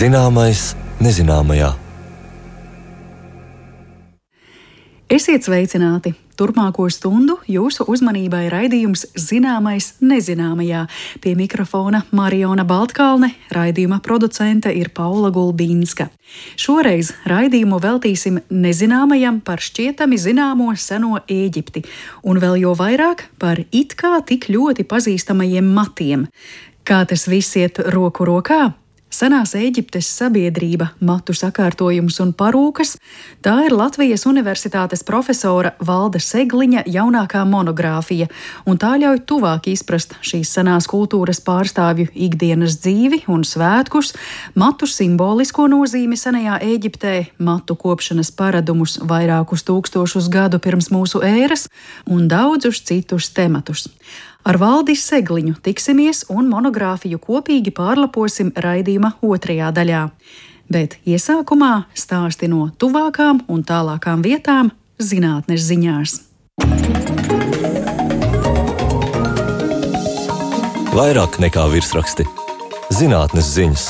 Zināmais nezināmajā. Esiet sveicināti! Turpmāko stundu jūsu uzmanībai raidījums Zināmais nezināmajā. Pie mikrofona Mariona Baltkalne, raidījuma producente ir Paula Gulbīnska. Šoreiz raidījumu veltīsim nezināmajam par šķietami zināmo seno Ēģipti, un vēl jo vairāk par it kā tik ļoti pazīstamajiem matiem. Kā tas viss iet roku rokā? Senās Ēģiptes sabiedrība, matu sakārtojums un parūkas – tā ir Latvijas Universitātes profesora Valda Segliņa jaunākā monogrāfija, un tā ļauj tuvāk izprast šīs senās kultūras pārstāvju ikdienas dzīvi un svētkus, matu simbolisko nozīmi senajā Ēģiptē, matu kopšanas paradumus vairākus tūkstošus gadu pirms mūsu ēras un daudzus citus tematus. Ar Valdi Segliņu tiksimies un monogrāfiju kopīgi pārlaposim raidījuma otrajā daļā. Bet iesākumā stāsti no tuvākām un tālākām vietām zinātnes ziņās. Vairāk nekā virsraksti. Zinātnes ziņas.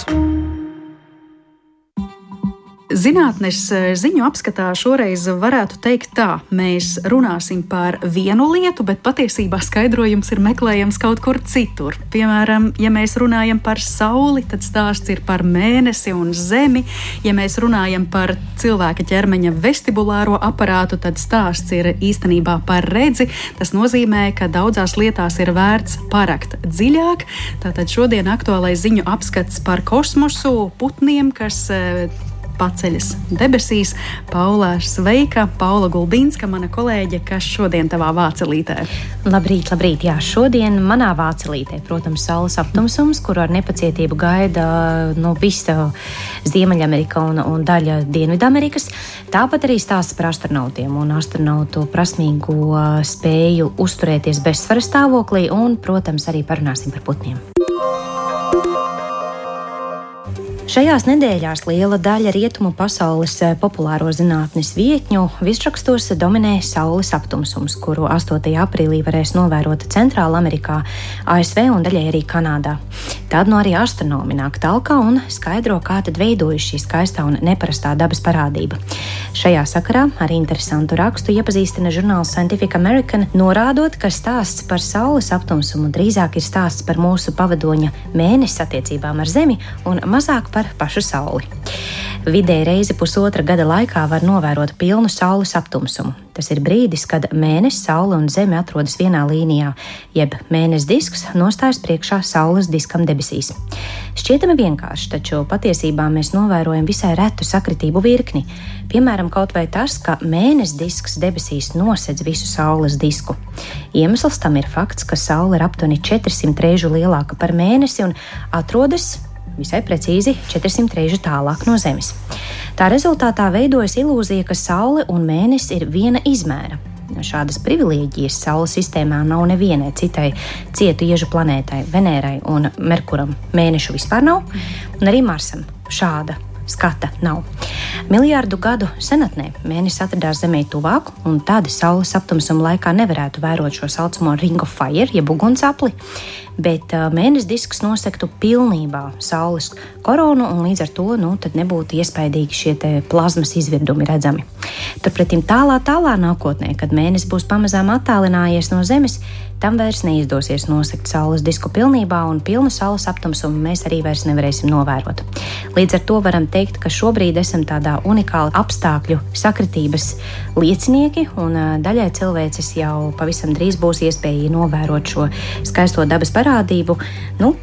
Zinātnes ziņu apskatā šoreiz varētu teikt tā, mēs runāsim par vienu lietu, bet patiesībā skaidrojums ir meklējams kaut kur citur. Piemēram, ja mēs runājam par Sauli, tad stāsts ir par mēnesi un Zemi. Ja mēs runājam par cilvēka ķermeņa vestibulāro aparātu, tad stāsts ir īstenībā par redzi. Tas nozīmē, ka daudzās lietās ir vērts parakt dziļāk. Tātad šodien aktuālais ziņu apskats par kosmosu, putniem, kas paceļas debesīs. Paula, sveika! Paula Gulbīnska, mana kolēģe, kas šodien tavā vācelītē? Labrīt, labrīt! Jā, šodien manā vācelītē, protams, saules aptumsums, kuru ar nepacietību gaida visa Ziemeļamerika un daļa Dienvidamerikas. Tāpat arī stāsts par astronautiem un astronautu prasmīgo spēju uzturēties bezsvaras stāvoklī un, protams, arī parunāsim par putniem. Šajās nedēļās liela daļa rietumu pasaules populāro zinātnes vietņu virsrakstos dominē saules aptumsums, kuru 8. aprīlī varēs novērot Centrāla Amerikā, ASV un daļai arī Kanādā. Tad arī astronomi nāk talkā un skaidro, kā tad veidojas šī skaistā un neparastā dabas parādība. Šajā sakarā ar interesantu rakstu iepazīstina žurnāls Scientific American, norādot, ka stāsts par saules aptumsumu drīzāk ir stāsts par mūsu pavadoņa mēnesi attiecībām ar Zemi un mazāk par pašu Sauli. Vidēji reizi pusotra gada laikā var novērot pilnu saules aptumsumu. Tas ir brīdis, kad mēnesis, Saule un Zeme atrodas vienā līnijā, jeb mēnesis disks nostājas priekšā saules diskam debesīs. Šķietami vienkārši, taču patiesībā mēs novērojam visai retu sakritību virkni. Piemēram, kaut vai tas, ka mēnesis disks debesīs nosedz visu saules disku. Iemesls tam ir fakts, ka Saule ir aptuveni 400 reižu lielāka par mēnesi un atrodas visai precīzi 400 reižu tālāk no Zemes. Tā rezultātā veidojas ilūzija, ka Saule un mēnesis ir viena izmēra. Šādas privilēģijas Saules sistēmā nav nevienai citai cietu iežu planētai, Venērai un Merkuram. Mēnešu vispār nav, un arī Marsam šāda skata nav. Miljardu gadu senatnē mēnesis atradās Zemē tuvāk, un tad Saules aptumsuma laikā nevarētu vērot šo saucamo Ring of Fire, jeb ugunsapli, bet mēnesis disks nosektu pilnībā Saules koronu, un līdz ar to tad nebūtu iespaidīgi šie plazmas izvirdumi redzami. Turpretim tālā nākotnē, kad mēnesis būs pamazām attālinājies no Zemes, tam vairs neizdosies nosegt Saules disku pilnībā, un pilnu Saules aptumsumu mēs arī vairs nevarēsim novērot. Līdz ar to varam teikt, ka šobrīd esam tādā unikāla apstākļu sakritības liecinieki, un daļai cilvēces jau pavisam drīz būs iespēja novērot šo skaisto dabas parādību,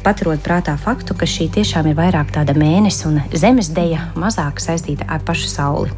paturot prātā faktu, ka šī tiešām ir vairāk tāda mēnesis un zemes deja, mazāk saistīta ar pašu Sauli.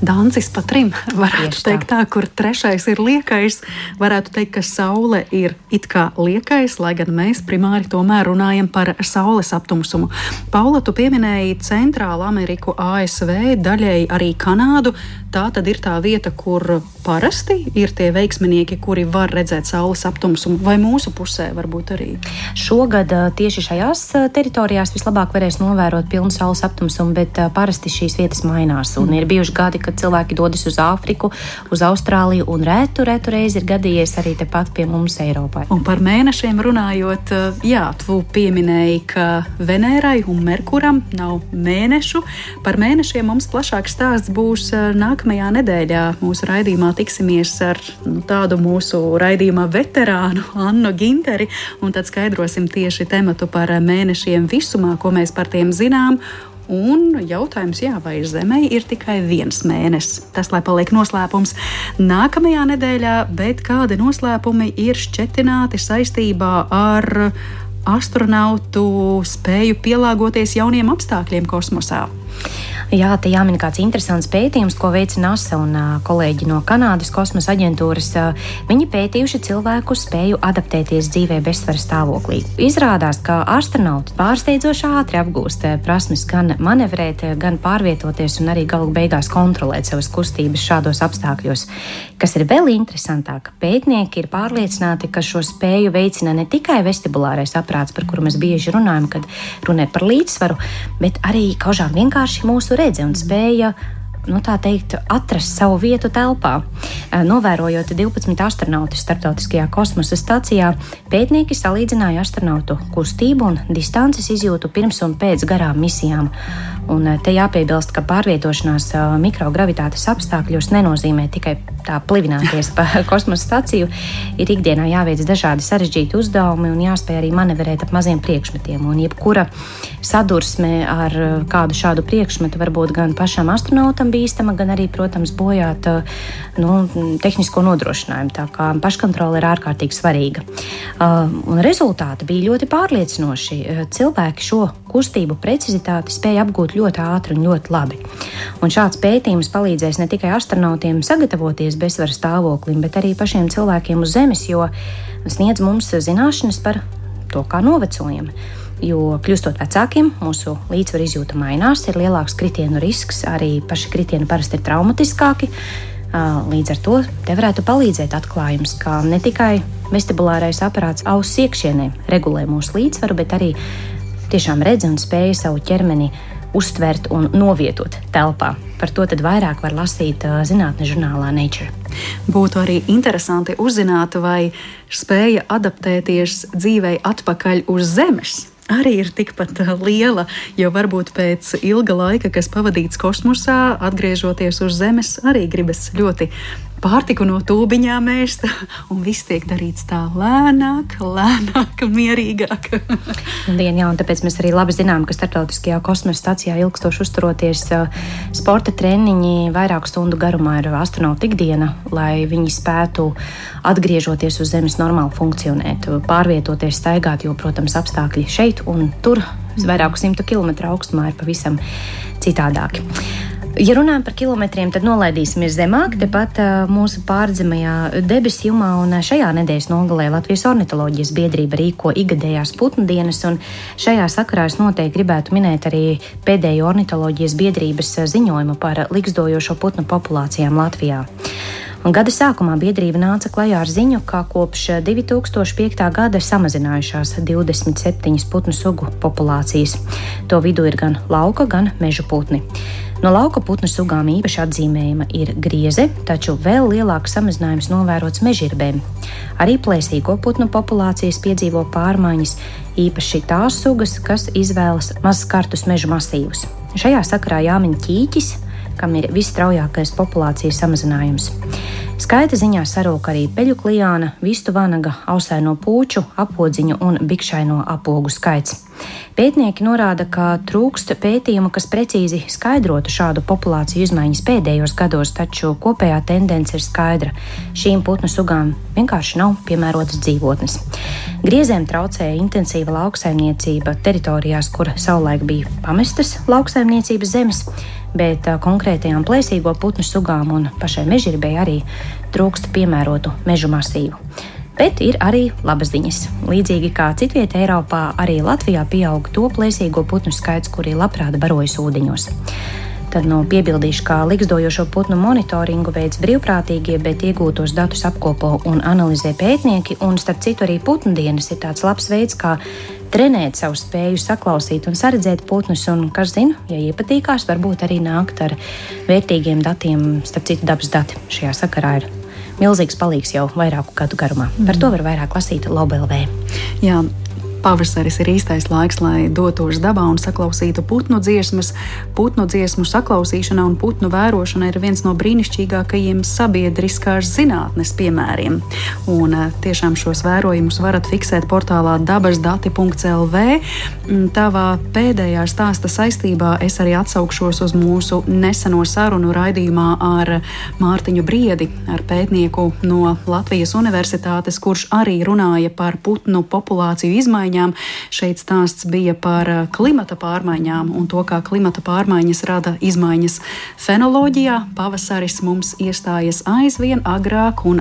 Dancis pa trim, varētu teikt tā, kur trešais ir liekais. Varētu teikt, ka Saule ir it kā liekais, lai gan mēs primāri tomēr runājam par Saules aptumsumu. Paula, tu pieminēji Centrālu Ameriku, ASV, daļēji arī Kanādu. Tā tad ir tā vieta, kur parasti ir tie veiksminieki, kuri var redzēt Saules aptumsumu, vai mūsu pusē varbūt arī? Šogad tieši šajās teritorijās vislabāk varēs novērot pilnu Saules aptumsumu, bet parasti šīs vietas mainās un ir bijuši gadi, kad cilvēki dodas uz Āfriku, uz Austrāliju, un retu reizi ir gadījies arī tepat pie mums Eiropā. Un par mēnešiem runājot, jā, tu pieminēji, ka Venērai un Merkuram nav mēnešu. Par mēnešiem mums plašāks stāsts būs nākamajā nedēļā. Mūsu raidījumā tiksimies ar tādu mūsu raidījumā veterānu Annu Ginteri, un tad skaidrosim tieši tematu par mēnešiem visumā, ko mēs par tiem zinām. Un jautājums, vai Zemei ir tikai viens mēnesis. Tas, lai paliek noslēpums nākamajā nedēļā, bet kādi noslēpumi ir šķetināti saistībā ar astronautu spēju pielāgoties jauniem apstākļiem kosmosā? Jā, te jāmin kāds interesants pētījums, ko veica NASA un kolēģi no Kanādas kosmosa aģentūras. Viņi pētījuši cilvēku spēju adaptēties dzīvē bezsvara stāvoklī. Izrādās, ka astronauti pārsteidzoši ātri apgūst prasmes gan manevrēt, gan pārvietoties un arī galu beigās kontrolēt savas kustības šādos apstākļos. Kas ir vēl interesantāk, pētnieki ir pārliecināti, ka šo spēju veicina ne tikai vestibulārais aprāts, par kuru mēs bieži runājam, kad runē par līdzsvaru, bet arī kažāk vienkārši mūsu redze un spēja, tā teikt, atrast savu vietu telpā. Novērojot 12 astronautus starptautiskajā kosmosa stacijā, pētnieki salīdzināja astronautu kustību un distances izjūtu pirms un pēc garām misijām. Un te jāpiebilst, ka pārvietošanās mikrogravitātes apstākļos nenozīmē tikai tā plivināties pa kosmosa staciju. Ir ikdienā jāveic dažādi sarežģīti uzdevumi un jāspēj arī manevrēt ap maziem priekšmetiem. Un jebkura sadursme ar kādu šādu priekšmetu var būt gan pašam astronautam bīstama, gan arī, protams, bojāt tehnisko nodrošinājumu. Tā kā paškontrole ir ārkārtīgi svarīga. Un rezultāti bija ļoti pārliecinoši. Cilvēki šo kustību precizitāti spēja apgūt ļoti ātri un ļoti labi. Un šāds pētījums palīdzēs ne tikai astronautiem sagatavoties bezsvara stāvoklim, bet arī pašiem cilvēkiem uz Zemes, jo sniedz mums zināšanas par to, kā novecojam. Jo kļūstot vecākiem, mūsu līdzsvaru izjūta mainās, ir lielāks kritienu risks, arī paši kritieni parasti ir traumatiskāki. Līdz ar to te varētu palīdzēt atklājums, ka ne tikai vestibulārais aparāts auss iekšienē regulē mūsu līdzsvaru, bet arī tiešām redz un spēja savu ķermeni uztvert un novietot telpā. Par to tad vairāk var lasīt zinātnes žurnālā Nature. Būtu arī interesanti uzzināt, vai spēja adaptēties dzīvei atpakaļ uz Zemes arī ir tikpat liela, jo varbūt pēc ilga laika, kas pavadīts kosmosā, atgriežoties uz Zemes, arī gribas ļoti pārtiku no tūbiņām ēst, un viss tiek darīts tā lēnāk, mierīgāk. Un tāpēc mēs arī labi zinām, ka starptautiskajā kosmosa stacijā ilgstoši uzturoties sporta treniņi vairāku stundu garumā ir astronauta ikdiena, lai viņi spētu atgriežoties uz Zemes normāli funkcionēt, pārvietoties, staigāt, jo, protams, apstākļi šeit un tur vairāku 100 kilometru augstumā ir pavisam citādāki. Ja runājam par kilometriem, tad nolaidīsimies zemāk, tepat mūsu pārdzemajā debesu jumā, un šajā nedēļas nogalē Latvijas ornitoloģijas biedrība rīko ikgadējās putnu dienas, un šajā sakarā es noteikti gribētu minēt arī pēdējo ornitoloģijas biedrības ziņojumu par likstojošo putnu populācijām Latvijā. Un gada sākumā biedrība nāca klajā ar ziņu, ka kopš 2005. gada samazinājušās 27 putnu sugu populācijas. To vidū ir gan lauka, gan meža putni. No lauka putnu sugām īpaši atzīmējama ir grieze, taču vēl lielāks samazinājums novērots mežirbēm. Arī plēsīgo putnu populācijas piedzīvo pārmaiņas, īpaši tās sugas, kas izvēlas mazskartus meža masīvus. Šajā sakarā jāmin ķīķis, kam ir visstraujākais populācijas samazinājums. Skaita ziņā sarūk arī peļu klijāna, vistu vanaga, ausaino pūču, apodziņu un bikšaino apogu skaits. Pētnieki norāda, ka trūkst pētījumu, kas precīzi skaidrotu šādu populāciju izmaiņas pēdējos gados, taču kopējā tendence ir skaidra. Šīm putnu sugām vienkārši nav piemērotas dzīvotnes. Griezēm traucēja intensīva lauksaimniecība teritorijās, kur savulaik bija pamestas lauksaimniecības zemes, bet konkrētajām plēsīgo putnu sugām un pašai mežirbei arī trūkst piemērotu mežu masīvu. Bet ir arī labas ziņas. Līdzīgi kā citvietē Eiropā, arī Latvijā pieaug to plēsīgo putnu skaits, kuri labprāt barojas ūdeņos. Tad piebildīšu, ka ligzdojošo putnu monitoringu veids brīvprātīgie, bet iegūtos datus apkopo un analizē pētnieki, un starp citu arī putnu dienas ir tāds labs veids, kā trenēt savu spēju saklausīt un saredzēt putnus, un, kas zina, ja iepatīkās, varbūt arī nākt ar vērtīgiem datiem, starp citu dabas dati šajā sakarā ir milzīgs palīgs jau vairāku gadu garumā. Par to var vairāk lasīt LOB.LV. Jā. Pavasaris ir īstais laiks, lai dotos dabā un saklausītu putnu dziesmas. Putnu dziesmu saklausīšana un putnu vērošana ir viens no brīnišķīgākajiem sabiedriskās zinātnes piemēriem. Un tiešām šos vērojumus varat fiksēt portālā dabasdati.lv. Tavā pēdējā stāsta saistībā es arī atsaukšos uz mūsu neseno sarunu raidījumā ar Mārtiņu Briedi, ar pētnieku no Latvijas Universitātes, kurš arī runāja par putnu populāciju izmaiņām. Šeit stāsts bija par klimata pārmaiņām un to, kā klimata pārmaiņas rada izmaiņas fenoloģijā. Pavasaris mums iestājas aizvien agrāk, un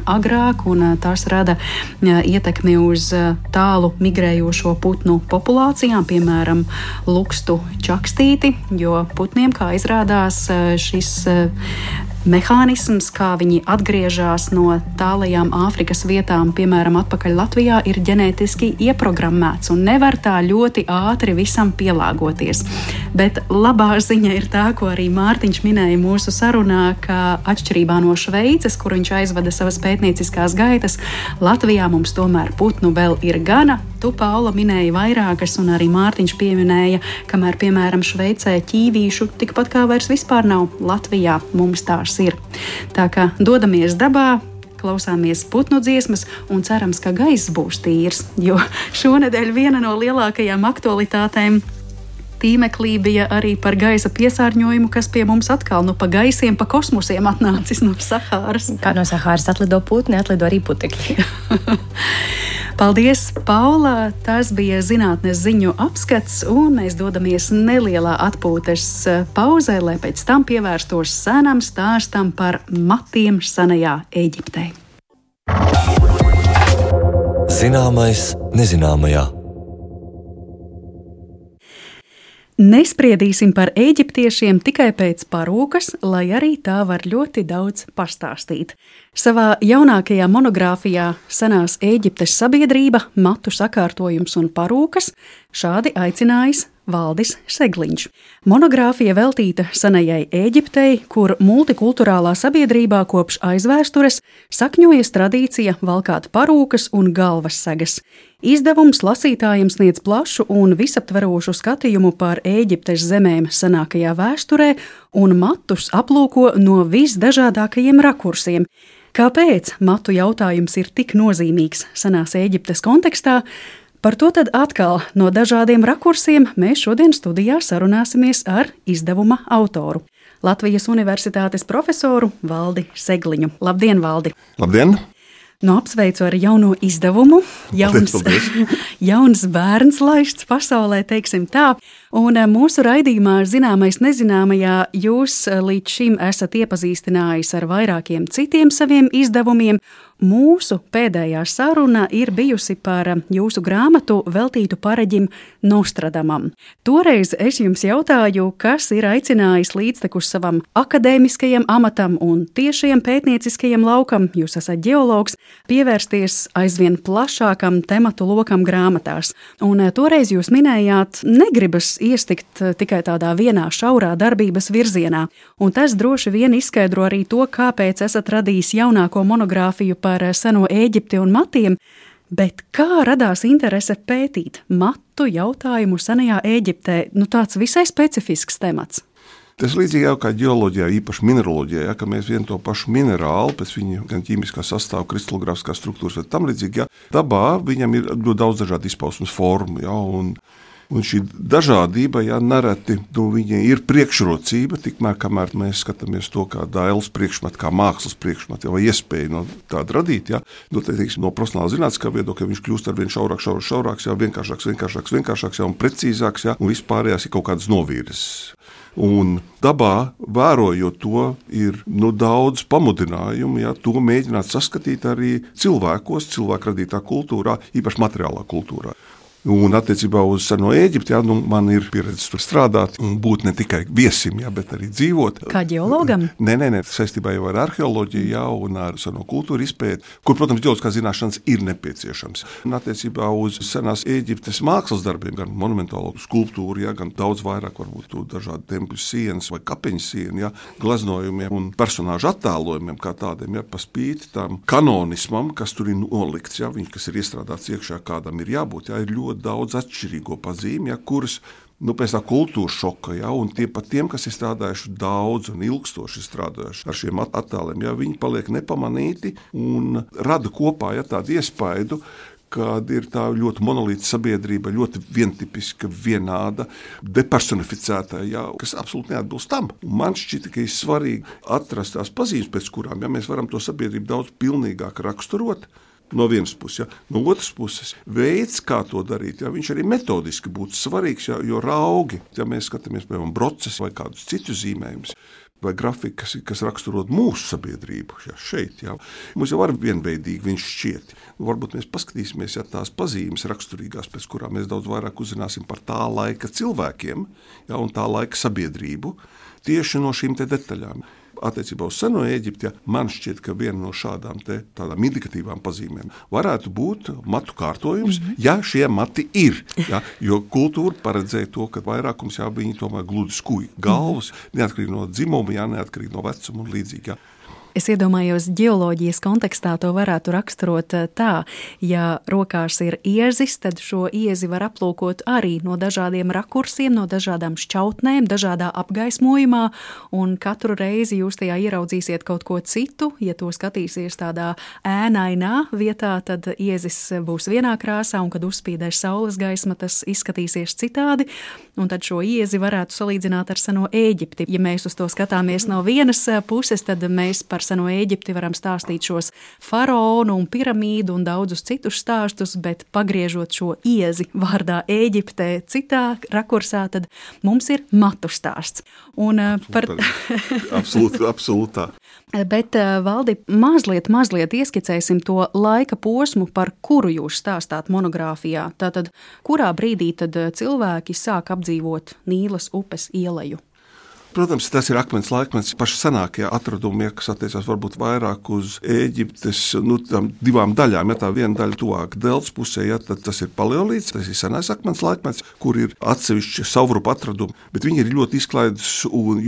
tās rada ietekmi uz tālu migrējošo putnu populācijām, piemēram, lukstu čakstīti, jo putniem, kā izrādās, šis mehānisms, kā viņi atgriežas no tālajām Āfrikas vietām, piemēram, atpakaļ Latvijā, ir ģenētiski ieprogrammēts un nevar tā ļoti ātri visam pielāgoties. Bet labā ziņa ir tā, ko arī Mārtiņš minēja mūsu sarunā, ka atšķirībā no Šveices, kur viņš aizvada savas pētnieciskās gaitas, Latvijā mums tomēr putnu vēl ir gana. Tu, Paula, minēji vairākas, un arī Mārtiņš pieminēja, kamēr, piemēram, Šveicē ķīvīšu tikpat kā vairs vispār nav, Latvijā mums tās ir. Tā kā dodamies dabā, klausāmies putnu dziesmas un cerams, ka gaiss būs tīrs, jo šonedēļ viena no lielākajām aktualitātēm tīmeklī bija arī par gaisa piesārņojumu, kas pie mums atkal pa gaisiem, pa kosmosiem atnācis no Sahāras. Kā no Sahāras atlido putni, atlido arī putekļi. Paldies, Paula! Tas bija zinātnes ziņu apskats, un mēs dodamies nelielā atpūtas pauzē, lai pēc tam pievērstos senam stāstam par matiem senajā Ēģiptē. Zināmais nezināmajā. Nespriedīsim par ēģiptiešiem tikai pēc parūkas, lai arī tā var ļoti daudz pastāstīt. Savā jaunākajā monogrāfijā Senās Ēģiptes sabiedrība, matu sakārtojums un parūkas šādi aicinājis Valdis Segliņš. Monogrāfija veltīta senajai Ēģiptei, kur multikulturālā sabiedrībā kopš aizvēstures sakņojas tradīcija valkāt parūkas un galvassegas. Izdevums lasītājiem sniedz plašu un visaptverošu skatījumu par Ēģiptes zemēm senākajā vēsturē un matus aplūko no visdažādākajiem rakursiem. Kāpēc matu jautājums ir tik nozīmīgs Senās Ēģiptes kontekstā? Par to tad atkal no dažādiem rakursiem mēs šodien studijā sarunāsimies ar izdevuma autoru, Latvijas Universitātes profesoru Valdi Segliņu. Labdien, Valdi! Labdien! Apsveicu ar jauno izdevumu. Jauns bērns laists pasaulē, teiksim tā. Un mūsu raidījumā Zināmais nezināmajā jūs līdz šim esat iepazīstinājis ar vairākiem citiem saviem izdevumiem. Mūsu pēdējā saruna ir bijusi par jūsu grāmatu veltītu paraģim Nostradamam. Toreiz es jums jautāju, kas ir aicinājis līdztekus savam akadēmiskajam amatam un tiešajam pētnieciskajam laukam, jūs esat ģeologs, pievērsties aizvien plašākam tematu lokam grāmatās. Un toreiz jūs minējāt, negribas iestikt tikai tādā vienā šaurā darbības virzienā. Un tas droši vien izskaidro arī to, kāpēc esat radījis jaunāko monogrāfiju par seno Ēģipti un matiem, bet kā radās interese pētīt matu jautājumu senajā Ēģiptē? Tāds visai specifisks temats. Tas līdzīgi jau kā ģeoloģijā, īpaši mineraloģijā, ka mēs vienu to pašu minerālu, pēc viņa gan ķīmiskā sastāva, kristalogrāfiskās struktūras, vai tam līdzīgi, dabā viņam ir daudz dažādu izpausmes formu, un šī dažādība, nereti viņai ir priekšrocība, tikmēr, kamēr mēs skatāmies to kā dailes priekšmetu, kā mākslas priekšmetu, vai iespēju no tādu radīt, no profesionāla zinātniskā viedokļa viņš kļūst ar vien šaurāks, vienkāršāks, un precīzāks, un vispārējās ir kaut kādas novīres. Un dabā, vērojot to, ir daudz pamudinājumu, to mēģināt saskatīt arī cilvēku radītā kultūrā, īpaši materiālā kultūrā. Un attiecībā uz seno Ēģipti, jā, man ir pieredze tur strādāt un būt ne tikai viesim, jā, bet arī dzīvot. Kā ģeologam? Nē, saistībā jau ar arheoloģiju, jā, un ar seno kultūru izpēti, kur, protams, ģeoloģiskās zināšanas ir nepieciešams. Un attiecībā uz senās Ēģiptes mākslas darbiem, gan monumentālo skulptūru, jā, gan daudz vairāk varbūt tu dažādi tempļu sienas vai kapeņu sienu, jā, glaznojumiem un personāžu attēlojumiem kā tādiem, jā, pa spīti tam kanonismam, kas tur ir nolikts, jā, viņš, kas ir iestrādāts iekšā, kādam ir jābūt, jā, ir ļoti daudz atšķirīgo pazīmi, ja, kuras pēc tā kultūras šoka, ja, un tiem, kas ir strādājuši daudz un ilgstoši strādājuši ar šiem attēliem, ja, viņi paliek nepamanīti un rada kopā, ja, tādu iespaidu, kad ir tā ļoti monolīta sabiedrība, ļoti vientipiska, vienāda, depersonificēta, ja, kas absolūti neatbilst tam. Un man šķita, ka ir svarīgi atrast tās pazīmes, pēc kurām, ja, mēs varam to sabiedrību daudz pilnīgāk raksturot. No vienas puses, ja. No otras puses, veids, kā to darīt, ja, viņš arī metodiski būtu svarīgs, ja, jo raugi, ja mēs skatāmies, piemēram, broces vai kādus citus zīmējumus, vai grafikas, kas raksturot mūsu sabiedrību, ja, šeit, ja. Mums jau var vienveidīgi viņš šķiet. Varbūt mēs paskatīsimies, ja tās pazīmes raksturīgās, pēc kurām mēs daudz vairāk uzzināsim par tā laika cilvēkiem, ja, un tā laika sabiedrību, tieši no šīm te detaļām. Attiecībā uz seno Ēģipti, ja, man šķiet, ka viena no šādām tādām indikatīvām pazīmēm varētu būt matu kārtojums, ja šie mati ir. Ja, jo kultūra paredzēja to, ka vairākums, ja, viņi tomēr gludi skuj galvas, neatkarīgi no dzimuma, ja, neatkarīgi no vecuma un līdzīgi. Ja. Es iedomājos, ģeoloģijas kontekstā to varētu raksturot tā, ja rokās ir iezis, tad šo iezi var aplūkot arī no dažādiem rakursiem, no dažādām šķautnēm, dažādā apgaismojumā, un katru reizi jūs tajā ieraudzīsiet kaut ko citu. Ja to skatīsies tādā ēnainā vietā, tad iezis būs vienā krāsā, un kad uzspīdēs saules gaisma, tas izskatīsies citādi, un tad šo iezi varētu salīdzināt ar seno Ēģipti. Ja mēs uz to skatāmies no vienas puses, tad mēs par seno Ēģipti varam stāstīt šos faraonu un piramīdu un daudzus citus stāstus, bet pagriežot šo iezi vārdā Ēģiptē citā rakursā, tad mums ir matu stāsts. Un par... Absolūtā. Bet, Valdi, mazliet ieskicēsim to laika posmu, par kuru jūs stāstāt monogrāfijā. Tātad, kurā brīdī tad cilvēki sāk apdzīvot Nīlas upes ieleju? Protams, tas ir akmens laikmets, paši senākie atradumi, kas attiecās varbūt vairāk uz Ēģiptes tam divām daļām. Ja tā viena daļa tuvāk deltas pusē, ja, tad tas ir paleolīts, tas ir senais akmens laikmets, kur ir atsevišķi savrupu atradumi, bet viņi ir ļoti izklaidus,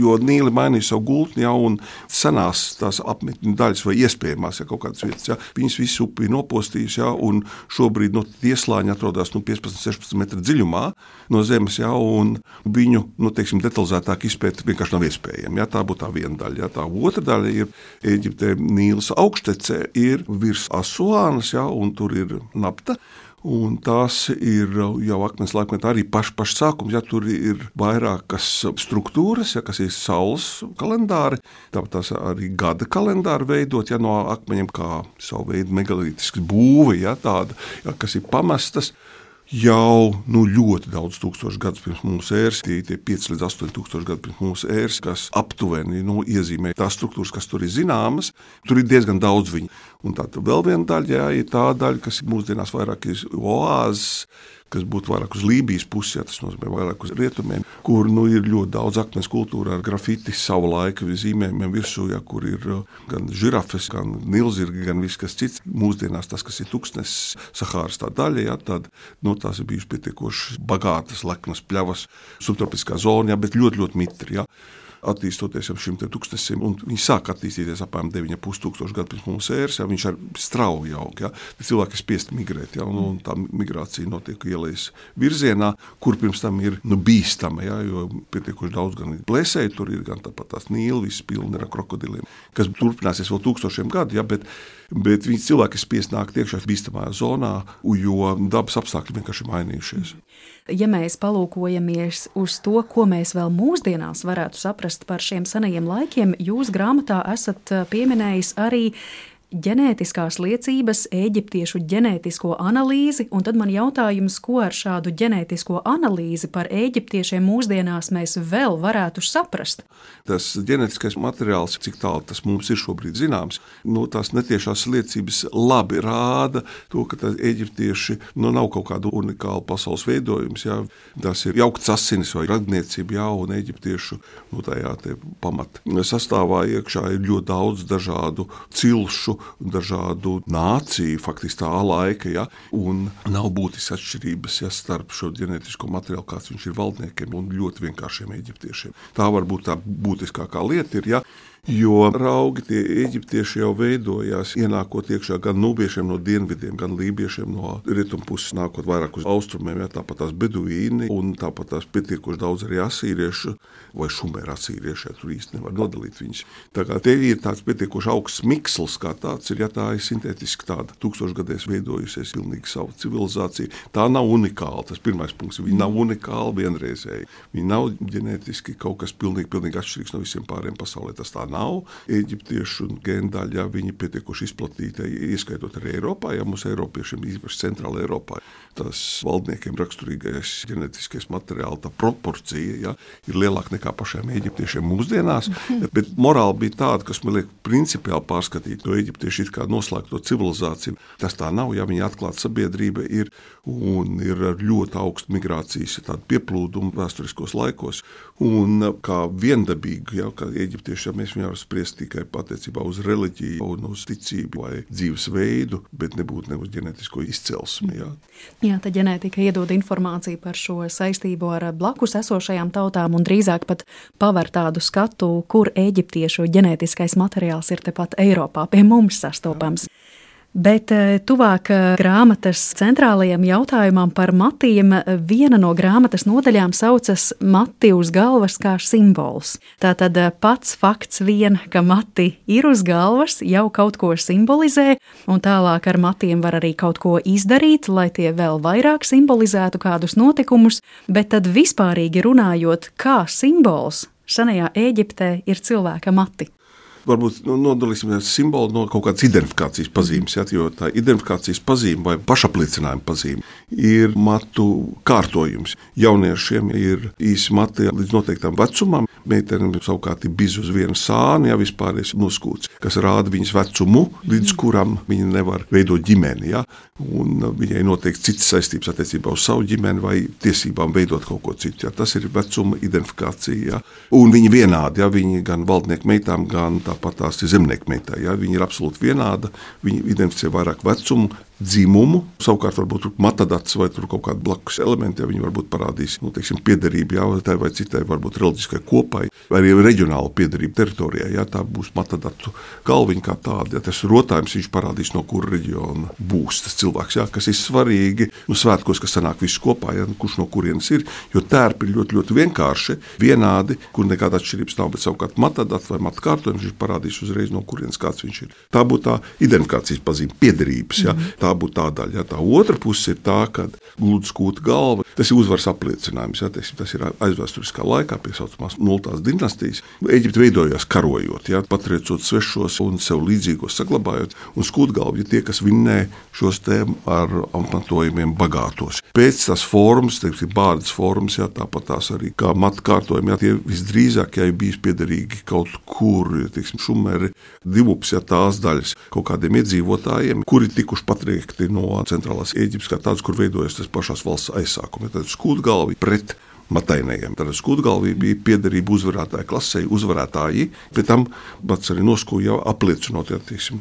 jo Nīli mainīja savu gultni, ja, un senās tās apmetņu daļas vai iespējamās, ja, kaut kādas vietas, ja, viņas visu upi ir nopostījis, ja, un šobrīd tieslāņi atrodas 15-16 metru dziļumā no zemes, ja, un viņu, teiksim, detalizētāk izpēt vienkārši nav iespējami. Ja, tā būtu tā viena daļa. Ja, tā otra daļa ir Ēģiptē Nīlas augštecē, ir virs Asuānas, ja, un tur ir nafta. Un tās ir jau akmens laikmetā arī paši sākums, ja tur ir vairākas struktūras, ja, kas ir saules kalendāri, tāpat tās arī gada kalendāri veidot, ja, no akmeņiem kā savu veidu megalītisks būve, ja, tāda, ja, kas ir pamestas. Jau ļoti daudz tūkstošu gadus pirms mūsu ēras, tie 5 līdz 8 tūkstoši gadu pirms mūsu ēras, kas aptuveni iezīmē tās struktūras, kas tur ir zināmas, tur ir diezgan daudz viņu. Un tā vēl viena daļa, jā, ir tā daļa, kas mūsdienās vairāk ir oāzes, kas būtu vairāk uz Lībijas pusi, ja, tas nozīmē vairāk uz rietumiem, kur ir ļoti daudz akmens kultūra ar grafiti savu laiku zīmējumiem virsū, ja, kur ir gan žirafes, gan nilzirgi, gan viss kas cits. Mūsdienās tas, kas ir tuksnes Sahāras tā daļa, ja, tad tās ir bijušas pietiekoši bagātas, leknas pļavas, subtropiskā zona, ja, bet ļoti mitri. Ja. Attīstoties ap šim tuksnesim, un viņi sāk attīstīties apmēram 9,5 tūkstoši gadu pirms mūsu ēras, ja, viņš ar strauji aug, ja, cilvēki ir spiesti migrēt, ja, un tā migrācija notiek ielejas virzienā, kur pirms tam ir bīstama, ja, jo pietiekoši daudz gan plēsēju, tur ir gan tāpat tās Nīla, viss pilni ar krokodiliem, kas turpināsies vēl tūkstošiem gadu, ja, bet viņi cilvēki ir spiesti nākt iekšā bīstamajā zonā, jo dabas apstākļi vienkārši mainījušies. Ja mēs palūkojamies uz to, ko mēs vēl mūsdienās varētu saprast par šiem senajiem laikiem, jūs grāmatā esat pieminējis arī ģenētiskās liecības, eģiptiešu ģenētisko analīzi, un tad man jautājums, ko ar šādu ģenētisko analīzi par eģiptiešiem mūsdienās mēs vēl varētu saprast? Tas ģenētiskais materiāls, cik tālu tas mums ir šobrīd zināms, tās netiešās liecības labi rāda to, ka eģiptieši nav kaut kāda unikāla pasaules veidojums. Jā. Tas ir jaukts asinis vai radniecība, jā, un eģiptiešu tajā pamat sastāvā iekšā ir ļoti daudz dažādu cilšu, dažādu nāciju, faktiski tā laika, ja, un nav būtiskas atšķirības, ja, starp šo ģenētisko materiālu, kāds viņš ir valdniekiem un ļoti vienkāršiem eģiptiešiem. Tā varbūt tā būtiskākā lieta ir, ja, jo raugi tie eģiptieši jau veidojās, ienākot iekšā gan nūbiešiem no dienvidiem, gan lībiešiem no rietumpuses, nākot vairāk uz austrumiem, ja, tāpat tās beduīni un tāpat tās pietiekoši daudz arī asīriešu vai šumēra asīrieši, ja tur īsti nevar nodalīt viņus. Tā kā te ir tāds pietiekoši augsts miksls, kā tāds ir, ja tā ir sintētiski tāda tūkstošgadēs veidojusies pilnīgi savu civilizāciju. Tā nav unikāla, tas pirmais punkts, viņi nav unikāli vienreizēji. Viņi nav ģenētiski kaut kas pilnīgi atšķirīgs no visiem pāriem pasaulē, tas tā nav. Eģiptiešu gēndaļa, ja, viņi pietiekoši izplatīti, ieskaitot arī Eiropā, ja mums eiropiešiem, īpaši centrāla Eiropā, tas valdniekiem raksturīgais ģenētiskais materiāls, tā proporcija, ja, ir lielāka nekā pašiem eģiptiešiem mūsdienās, bet morāli bija tāda, kas man liek principiāli pārskatīt no eģiptieši it kā noslēgto civilizāciju. Tas tā nav, ja viņi atklāta sabiedrība ir un ir ar ļoti augstu migrācijas tādu pieplūdumu vēsturiskos laikos un kā viendabīgi, ja, kā eģiptieši, ja mēs viņu var spriest tikai patiecībā uz reliģiju un uz ticību vai dzīvesveidu, bet nebūtu ne uz ģenētisko izcelsmi. Ja. Jā, tad ģenētika iedod informāciju par šo saistību ar blakus esošajām tautām un drīzāk pat paver tādu skatu, kur eģiptiešu ģenētiskais materiāls ir tepat Eiropā pie mums sastopams. Bet tuvāk grāmatas centrālajiem jautājumam par matiem, viena no grāmatas nodaļām saucas mati uz galvas kā simbols. Tātad pats fakts vien, ka mati ir uz galvas, jau kaut ko simbolizē, un tālāk ar matiem var arī kaut ko izdarīt, lai tie vēl vairāk simbolizētu kādus notikumus, bet tad vispārīgi runājot, kā simbols senajā Ēģiptē ir cilvēka mati. Varbūt nodalīsim simbolu no kaut kādas identifikācijas pazīmes, ja, jo tā identifikācijas pazīme vai pašapliecinājuma pazīme ir matu kārtojums. Jauniešiem ir īsi mati līdz noteiktam vecumam, meitenēm savukārt ir bizi uz vienu sāni, ja vispārējais noskūts, kas rāda viņas vecumu, līdz kuram viņa nevar veidot ģimeni, ja, un viņai noteikti citas saistības attiecībā uz savu ģimeni vai tiesībām veidot kaut ko citu. Ja. Tas ir vecuma identifikācija, ja. Un viņi vienādi, ja, viņi gan valdnieku meitām, gan tāpat tās ir zemnieku meitai. Ja? Viņi ir absolūti vienāda, viņi identificē vairāk vecumu, dzimumu, savukārt varbūt matadats vai tur kaut kādi blakus elementi, ja viņi varbūt parādīs, piederību, ja, tai vai citai varbūt reliģiskai kopai, vai arī reģionāla piederība teritorijā, ja, tā būs matadatu galviņa kā tāda, ja, tas rotājums viņš parādīs, no kura reģiona būs tas cilvēks, ja, kas ir svarīgi, svētkos, kas sanāk visu kopā, ja, kurš no kurienes ir, jo tērpi ir ļoti, ļoti vienkārši, vienādi, kur nekāda atšķirības nav, bet savukārt matadats vai matkārtojums viņš parādīs uzreiz, no kurienes kāds viņš ir. Tā būtu tā identifikācijas pazīme, piederības, ja, tā būtu tā daļa. Ja. Tā otra puse ir tā, kad gludi skūta galva, tas ir uzvaras apliecinājums. Ja. Tas ir aizvēsturiskā laikā, pie saucamās 0. dinastijas. Eģipte veidojās karojot, ja, patriecot svešos un sev līdzīgos saglabājot, un skūtgalvi ir tie, kas vinnē šos te ar apmetojumiem bagātos. Pēc tās formas, bārdas formas, ja, tāpat tās arī kā matu kārtojumi, ja, tie visdrīzāk, ja ir bijis piederīgi kaut kur, ja, šumeri, divups, ja, tās daļas kaut kādiem iedzīvotājiem, kuri tikuši patriekti no centrālās Ēģiptes kā tāds, kur veidojas tas pašās valsts aizsākumi. Tad skūtgalvi pret matainējiem. Tad skūtgalvi bija piederība uzvarētāju klasei, uzvarētāji, bet tam pats arī noskūja jau apliecinot, ja,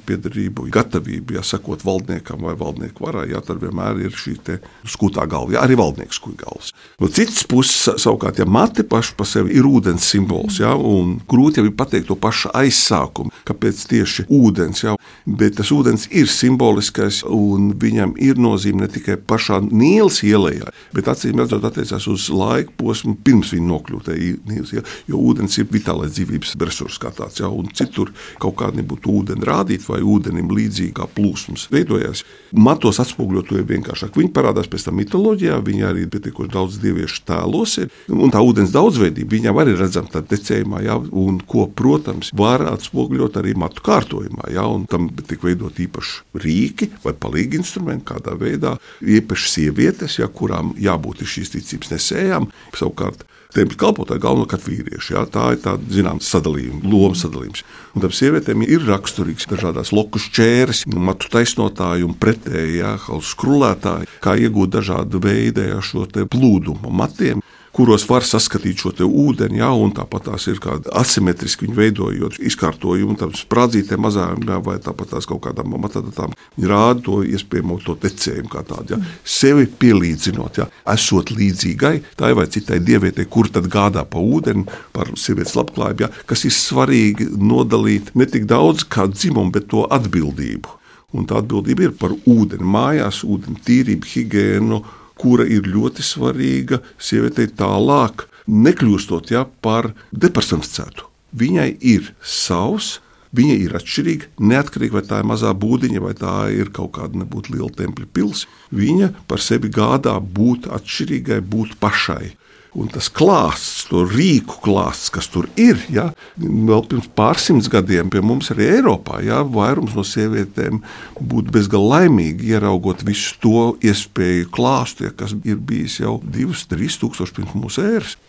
piederību, gatavību, ja, sekot valdniekam vai valdnieku varai, ja, tad vienmēr ir šī te skūtā galva, ja, arī valdnieks skūja galvas. No citas puses, savukārt, ja mati paši pa sevi ir ūdens simbols, ja, un grūti jau ir pateikt to pašu aizsākumu, kāpēc tieši ūdens, ja, bet tas ūdens ir simboliskais, un viņam ir nozīme ne tikai pašā Nīlas ielejā, bet acīm redzot attiecās uz laiku posmu pirms viņi nokļūtu Nīls, ja? Jo ūdens ir vitālais dzīvības resurs kā tāds, ja? Un citur kaut kādi nebūtu ūdeni rādīt vai ūdenim līdzīgi kā plūsmas veidojās. Matos atspoguļot to ir vienkāršāk. Viņi parādās pēc tam mitoloģijā, viņi arī pietiekoši daudz dieviešu tēlos ir, un tā ūdens daudzveidība, viņam arī redzam tā tecējumā, ja? Un ko, protams, var atspoguļot arī matu kārtojumā, ja? Un tam tik veidot īpaši rīki vai palīgi instrumenti kādā veidā, īpaši sievietes, ja, kurām jābūt šīs ticības nesējām, savukārt tempļa kalpotāji galvenokārt vīrieši. Ja? Tā ir tāda, zināms, sadalījuma, loma sadalījums. Un tam sievietēm ir raksturīgs dažādās loku šķēres, matu taisnotāji un pretēji, ja? Skrulētāji, kā iegūt dažādu veidu šo te plūdumu matiem, kuros var saskatīt šo te ūdeni, ja, un tāpat tās ir kādi asimetriski viņi veidojot izkārtojumu, tam sprādzītēm mazām, ja, vai tāpat tās kaut kādām matadatām, viņi rāda to iespējamo to tecējumu kā tādu, ja, sevi pielīdzinot, ja, esot līdzīgai tai vai citai dievietei, kur tad gādā pa ūdeni, par sievietes labklājību, ja, kas ir svarīgi nodalīt ne tik daudz kā dzimumu, bet to atbildību. Un tā atbildība ir par ūdeni mājās, ūdeni tīrību, higiēnu, kura ir ļoti svarīga sievietei tālāk, nekļūstot, ja, par depersonificētu. Viņai ir savs, viņa ir atšķirīga, neatkarīgi vai tā ir mazā būdiņa, vai tā ir kaut kāda nebūtu liela tempļa pils. Viņa par sevi gādā būt atšķirīgai, būt pašai. Un tas klāsts, to rīku klāsts, kas tur ir, ja, vēl pirms pārsimts gadiem pie mums arī Eiropā, ja, vairums no sievietēm būtu bezgalīgi laimīgi, ieraugot visu to iespēju klāstu, ja, kas ir bijis jau 2-3 tūkstoši pirms mūsu ēras.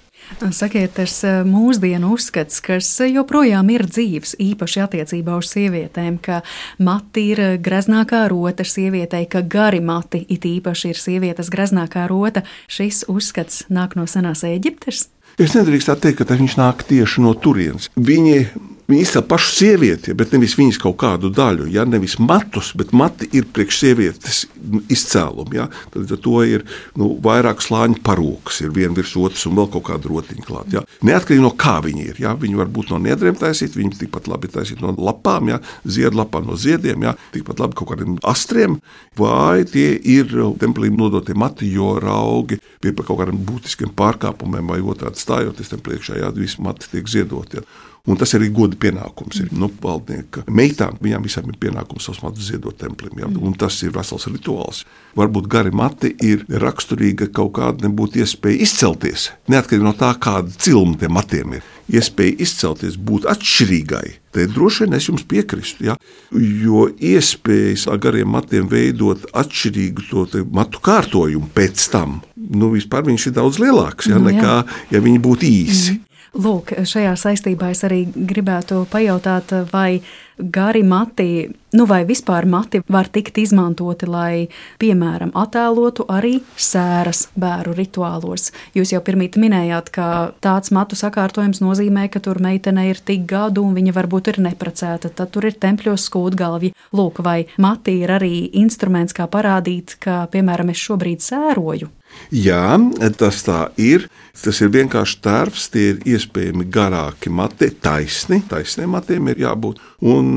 Sakiet, tas mūsdienu uzskats, kas joprojām ir dzīves, īpaši attiecībā uz sievietēm, ka mati ir greznākā rota sievietei, ka gari mati it īpaši ir sievietes greznākā rota, šis uzskats nāk no senās Ēģiptes? Es nedrīkst tā teikt, ka viņš nāk tieši no turienes. Viņi izcēl pašu sievieti, bet nevis viņas kaut kādu daļu, ja? Nevis matus, bet mati ir priekš sievietes izcēlumi. Ja? Tad to ir vairāk slāņu parūkas, ir viena virs otras un vēl kaut kāda rotiņa klāt. Ja? Neatkarīgi no kā viņi ir. Ja? Viņi var būt no niedriem taisīti, viņi tikpat labi taisīti no lapām, ja? Ziedlapām no ziediem, ja? Tikpat labi kaut kādiem astriem, vai tie ir templī nodotie mati, jo raugi pie kaut kādiem būtiskiem pārkāpumiem vai otrādi stājoties tiem priekšā, ja? Visi mati tiek ziedoti. Ja? Un tas arī goda pienākums ir valdnieka meitām. Viņām visām ir pienākums savus matus ziedot templim. Ja? Un tas ir vesels rituāls. Varbūt gari mati ir raksturīga kaut kāda nebūtu iespēja izcelties. Neatkarīgi no tā, kāda cilma tiem matiem ir. Iespēja izcelties, būt atšķirīgai. Te droši vien es jums piekristu. Ja? Jo iespējas ar gariem matiem veidot atšķirīgu to matu kārtojumu pēc tam, vispār viņš ir daudz lielāks, ja? Nekā, ja viņi būtu īsi. Lūk, šajā saistībā es arī gribētu pajautāt, vai gari mati, vai vispār mati var tikt izmantoti, lai, piemēram, attēlotu arī sēras bēru rituālos. Jūs jau pirmīt minējāt, ka tāds matu sakārtojums nozīmē, ka tur meitene ir tik gadu un viņa varbūt ir neprecēta, tad tur ir tempļos skūtgalvji. Lūk, vai mati ir arī instruments, kā parādīt, ka, piemēram, es šobrīd sēroju? Jā, tas tā ir. Tas ir vienkārši tērps, tie ir iespējami garāki mati, taisniem matiem ir jābūt. Un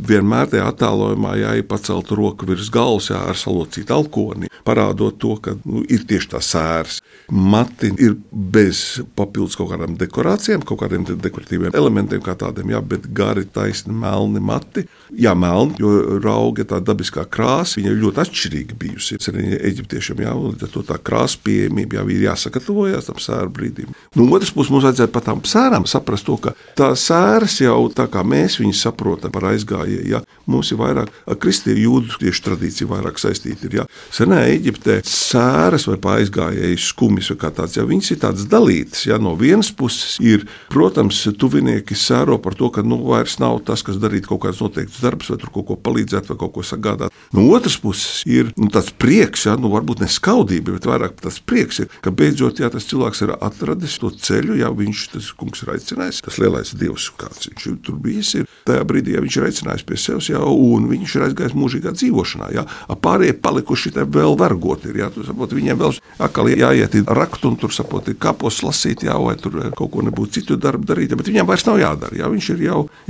vienmēr tajā attēlojumā jāir pacelta roka virs galvas, ar salocītu alkoni, parādot to, ka ir tieši tā sēras. Mati ir bez papildus kaut kādām dekorācijām, kaut kādiem dekoratīviem elementiem kā tādiem, jā, bet gari, taisni, melni mati. Jā, melni, jo rauga tā dabiskā krāsa, viņa ir ļoti atšķirīga bijusi. Arī eģiptiešiem, jā, un to tā krāsa pieejamība jau ir jāsagatavojās tam sēru brīdim. No otras puses mums vajadzētu par tām sērām saprast to, ka tā sēras jau tā kā mēs viņus saprotam par aizgājēju, ja mums ir vairāk kristiešu jūdu tieši tradīcija vairāk saistīta ir, ja senā Eģiptē sēras vai aizgājēju skumis vai kā tāds, ja viņas ir tādas dalītas, ja no vienas puses ir, protams, tuvinieki sēro par to, ka vairs nav tas, kas darīt kaut kāds noteikts darbs vai tur kaut ko palīdzēt vai kaut ko sagādāt. No otras puses ir tāds prieks, ja, varbūt ne skaudība, bet vairāk tas prieks ir, ka beidzot, ja tas cilvēks ir atradis to ceļu, ja viņš, tas kungs ir aicinājis, tas lielais dievs, kāds viņš tur bijis, ir tajā brīdī, ja viņš ir aicinājis pie sevis, ja, un viņš ir aizgājis mūžīgā dzīvošanā, ja, pārējie palikuši te vēl vergoti ir, ja, tu sapot, viņiem vēl akali jāiet rakt un tur sapot, kapos lasīt, ja, vai tur kaut ko nebūtu citu darbu darīt, ja, bet viņam vairs nav jādara, ja, viņš ir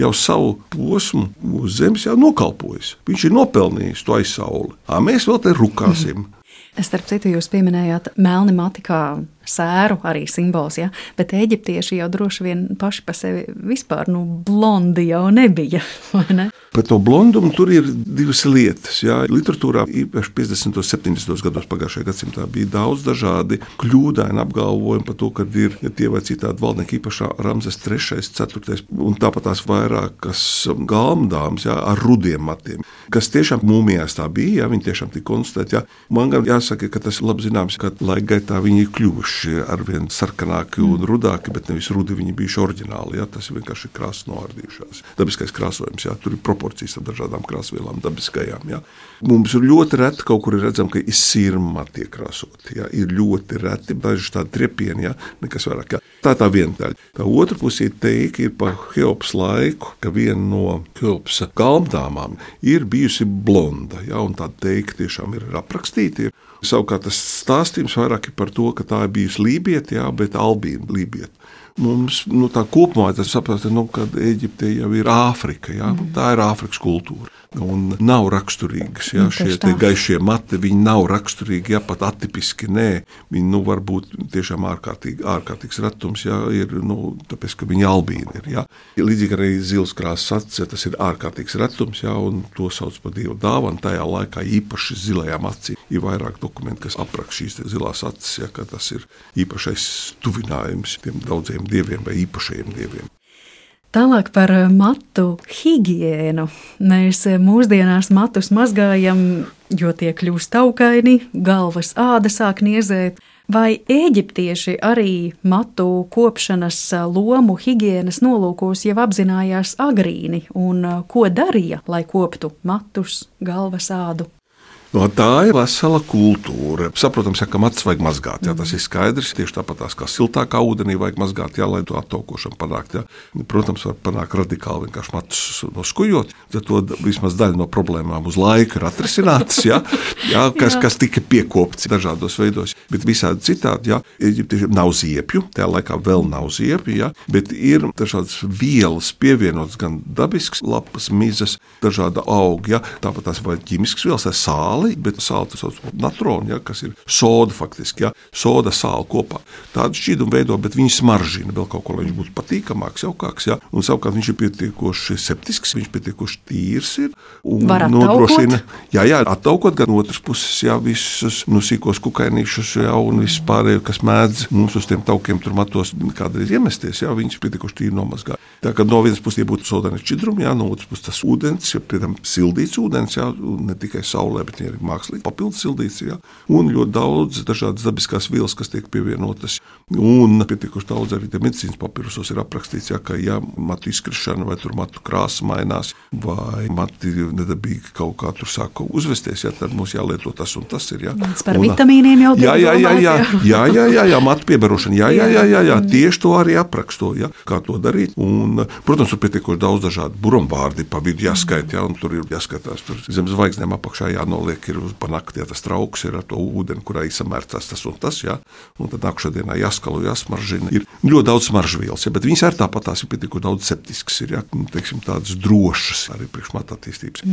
jau savu posmu uz zemes jau nokalpojis, viņš ir nopelnījis to aizsauli, mēs vēl te rukāsim. Starp citu, jūs pieminējāt melni mati kā sēru arī simbols, ja? Bet eģiptieši jau droši vien paši pa sevi vispār blondi jau nebija, vai ne? Par to blondumu tur ir divas lietas. Jā. Literatūrā īpaši 50. un 70. gados pagājušajā gadsimtā bija daudz dažādi kļūdaini apgalvojumi par to, ka ir tie vai citādi valdnieki, īpaši Ramzes III, 4. un tāpat tās vairākas galmdāmas, jā, ar rudiem matiem, kas tiešām mūmijās tā bija, jā, viņi tiešām tika konstatēti. Jā. Man gan jāsaka, ka tas ir labi zināms, ka laika gaitā viņi ir kļuvuši arvien sarkanāki un rudāki, bet nevis rudi viņi bijuši oriģināli. Jā. Tas ir vienkārši krāsas noārdījušās. Dabiskais krāsojums, jā, tur ir proporcijas ar dažādām krāsvielām dabiskajām. Jā. Mums ir ļoti reti, kaut kur ir redzam, ka ir sirmati iekrāsoti. Jā. Ir ļoti reti, daži tādi triepieni, jā, nekas vairāk. Jā. Tā ir tā viena daļa. Tā otra pusē teika ir par Heopas laiku, ka viena no Heopas galmdāmām ir bijusi blonda, jā, un tā teika tiešām ir aprakstīta. Savukārt tas stāstījums vairāk ir par to, ka tā ir bijusi lībieta, jā, bet albīna lībieta. Mums tā kopumā tas saprast, ka Eģipte jau ir Āfrika, jā, tā ir Āfrikas kultūra. Un nav raksturīgas, jā, šie gaišie mati, viņi nav raksturīgi, jā, pat atipiski, nē. Viņi, var būt tiešām ārkārtīgs retums, jā, ir, tāpēc, ka viņi albīni ir, jā. Līdzīgi arī zils krāsas acis, ja tas ir ārkārtīgs retums, jā, un to sauc par dievu dāvanu. Tajā laikā īpaši zilajām acīm ir vairāk dokumenti, kas apraksta šīs zilās acis, jā, ka tas ir īpašais tuvinājums tiem daudziem dieviem vai īpašajiem dieviem. Tālāk par matu higiēnu. Mēs mūsdienās matus mazgājam, jo tie kļūst taukaini, galvas āda sāk niezēt. Vai eģiptieši arī matu kopšanas lomu higienas nolūkos jau apzinājās agrīni un ko darīja, lai koptu matus, galvas ādu? Tā ir vesela kultūra. Saprotams, ka matus vajag mazgāt, jā, tas ir skaidrs. Tieši tāpat kā siltākā ūdenī vajag mazgāt, jā, lai to attaukošanu panākt. Jā. Protams, var panākt radikāli vienkārši matus noskujot. To vismaz daļa no problēmām uz laiku ir atrisinātas, jā, kas tika piekopts dažādos veidos. Bet visādi citādi, jā, Eģiptiešiem nav ziepju, tajā laikā vēl nav ziepju, jā, bet ir dažādas vielas pievienotas, gan dabisks lapas, mizas, dažāda auga, jā, tāpat tās vai ķimiskas vielas, sāli. Bet sāli tas sauc par natronu, ja, kas ir soda faktiski, ja, soda sāli kopā. Tādu šķīdumu veido, bet viņi smaržina vēl kaut ko, lai viņš būtu patīkamāks, jaukāks, ja. Un savukārt viņš ir pietiekoši septisks, viņš pietiekoši tīrs ir. Un var attaukot? Jā, attaukot, gan otras puses, jā, visus sīkos kukainīšus, jā, un viss pārējo, kas mēdz mums uz tiem taukiem tur matos kādreiz iemesties, jā, viņš pietiekoši tīri nomazgā. Tā kā no vienas puses būtu sodaini šķidrumi, jā, no otras puses tas ūdens, ja, piemēram, sildīts ūdens, jā, ne tikai saulē, bet ir mākslīgi papildus sildīts, jā, un ļoti daudz dažādas dabiskās vielas, kas tiek pievienotas, un pietiekoši daudz arī medicīnas papīrusos ir aprakstīts, jā, ka ja matu izkrišana vai tur matu krāsa mainās, vai mati nedabīgi kaut kā tur sāk uzvesties, jā, tad mums jālieto tas un tas ir, jā. Par vitamīniem jau Jā, matu piebarošana, jā, tieši to arī apraksto, jā, kā to darīt, un, protams, tur pietiekoši daudz dažādu burumvārdi pa vidu jāskait, jā, un tur ir jāskatās, tur zem zvaigznēm apakšā jānoliek, ir pa nakti, ja tas trauks ir ar to ūdeni, kurā izsamērcās tas un tas, jā, un tad nākušā dienā jāskalo, jāsmaržina. Ir ļoti daudz smaržvielas, jā, bet viņas arī tāpat tās ir pietiekoši daudz septiskas, ir, jā, teiksim, tādas drošas arī priekš matu attīstības.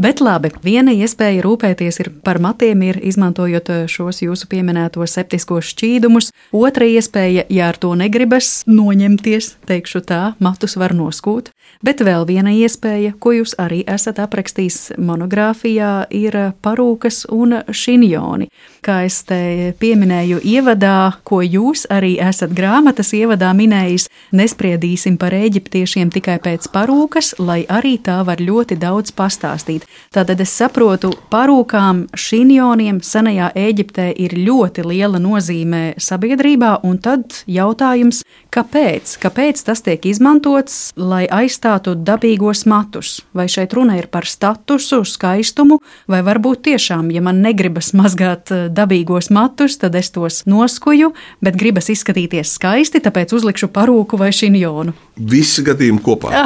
Bet labi, viena iespēja rūpēties ir par matiem ir izmantojot šos jūsu pieminētos septiskos šķīdumus. Otra iespēja, ja ar to negribas noņemties, teikšu tā, matus var noskūt. Bet vēl viena iespēja, ko jūs arī esat aprakstījis monogrāfijā, ir parūkas un šinjoni. Kā es te pieminēju ievadā, ko jūs arī esat grāmatas ievadā minējis, nespriedīsim par eģiptiešiem tikai pēc parūkas, lai arī tā var ļoti daudz pastāstīt. Tātad es saprotu, parūkām, šinjoniem senajā Ēģiptē ir ļoti liela nozīme sabiedrībā, un tad jautājums, kāpēc? Kāpēc tas tiek izmantots, lai aizstātu dabīgos matus? Vai šeit runa ir par statusu, skaistumu, vai varbūt tiešām, ja man negribas mazgāt dabīgos matus, tad es tos noskuju, bet gribas izskatīties skaisti, tāpēc uzlikšu parūku vai šinjonu. Visi gadījumi kopā.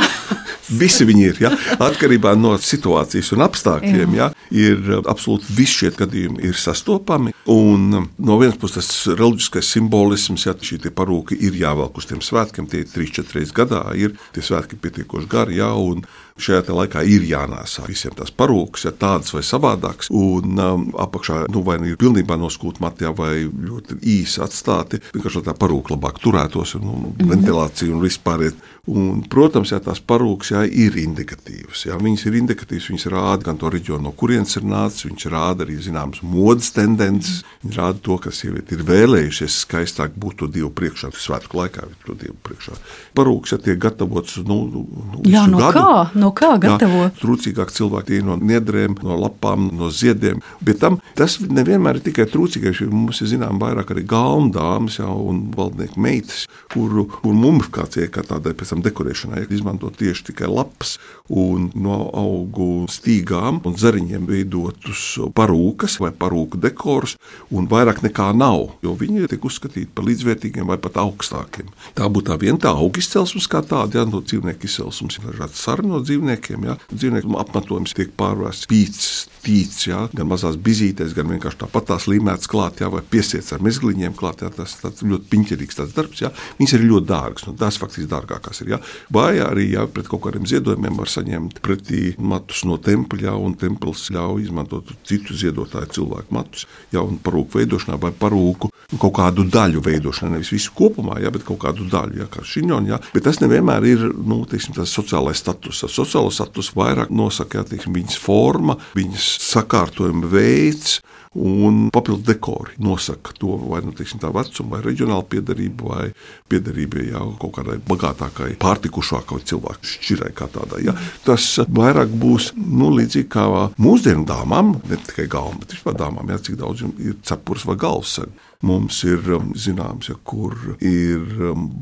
Visi viņi ir, ja? Atkarībā no situācijas un apstākļiem, ja? Ir absolūti visi šie gadījumi ir sastopami, un no vienas puses tas reliģiskais simbolisms, ja šī tie parūki ir jāvelk uz tiem svētkiem, tie 3-4 reizes gadā ir, tie svētki pietiekoši gari, ja? Un šajā laikā ir jānēsā visiem tās parūkas, ja tādas vai savādākas. savādāks. Un apakšā vai ir pilnībā noskūti mati, vai ļoti īsi atstāti, vienkārši tā parūka labāk turētos, ventilācija un vispāriet. Un, protams, tās parūkas ir indikatīvas. Viņas ir indikatīvas, viņas rāda gan to reģionu, no kurienes ir nācis, viņas rāda arī zināmas modes tendences, viņas rāda to, ka sieviete ir vēlējušies skaistāk būt to Dievu priekšā, svētku laikā to Dievu priekšā. Parūkas tiek gatavotas no kā gatavo? Trūcīgāk cilvēki no niedrēm, no lapām, no ziediem, bet tas nevienmēr ir tikai trūcīgais, mums ir zinām vairāk arī galmdāmas un valdnieku meitas, kuru mumifikācija kā tādai pēc tam dekorēšanai izmanto tieši tikai lapas un no augu stīgām un zariņiem veidotus parūkas vai parūku dekorus, un vairāk nekā nav, jo viņi tiek uzskatīti par līdzvērtīgiem vai pat augstākiem. Tā būtu tā viena tā auga izcelsmes kā tāda, no dzīvnieku izcelsmes ir dažādi sari no dzīvniekiem, dzīvnieku apmetojums tiek pārvērsts pīcis, tīts, gan mazās bizītēs, gan vienkārši tāpat tās līmētas klāt, vai piesiets ar mezgliņiem klāt, tas tāds ļoti piņķerīgs tāds darbs, viņas ir ļoti dārgas, tās faktiski dārgākās ir, vai arī, pret kaut kādiem ziedojumiem var saņemt pretī matus no tempļa, un templis ļauj izmantot citu ziedotāju cilvēku matus, un parūku veidošanā vai parūku kaut kādu daļu veidošanā, nevis visu kopumā, bet kaut kādu daļu, kā šiņoņi, bet tas nevienmēr ir, tas sociālais status. Sociālo status vairāk nosaka, viņas forma, viņas sakārtojuma veids un papildu dekori nosaka to, vai tā vecuma, vai reģionāla piederība, vai piederība kaut kādai bagātākai, pārtikušākai cilvēku šķirai kā tādai. Tas vairāk būs līdzīgi kā mūsdienu dāmām, ne tikai galvam, bet vispār dāmām, cik daudz ir cepures vai galvasari. Mums ir zināms, kur ir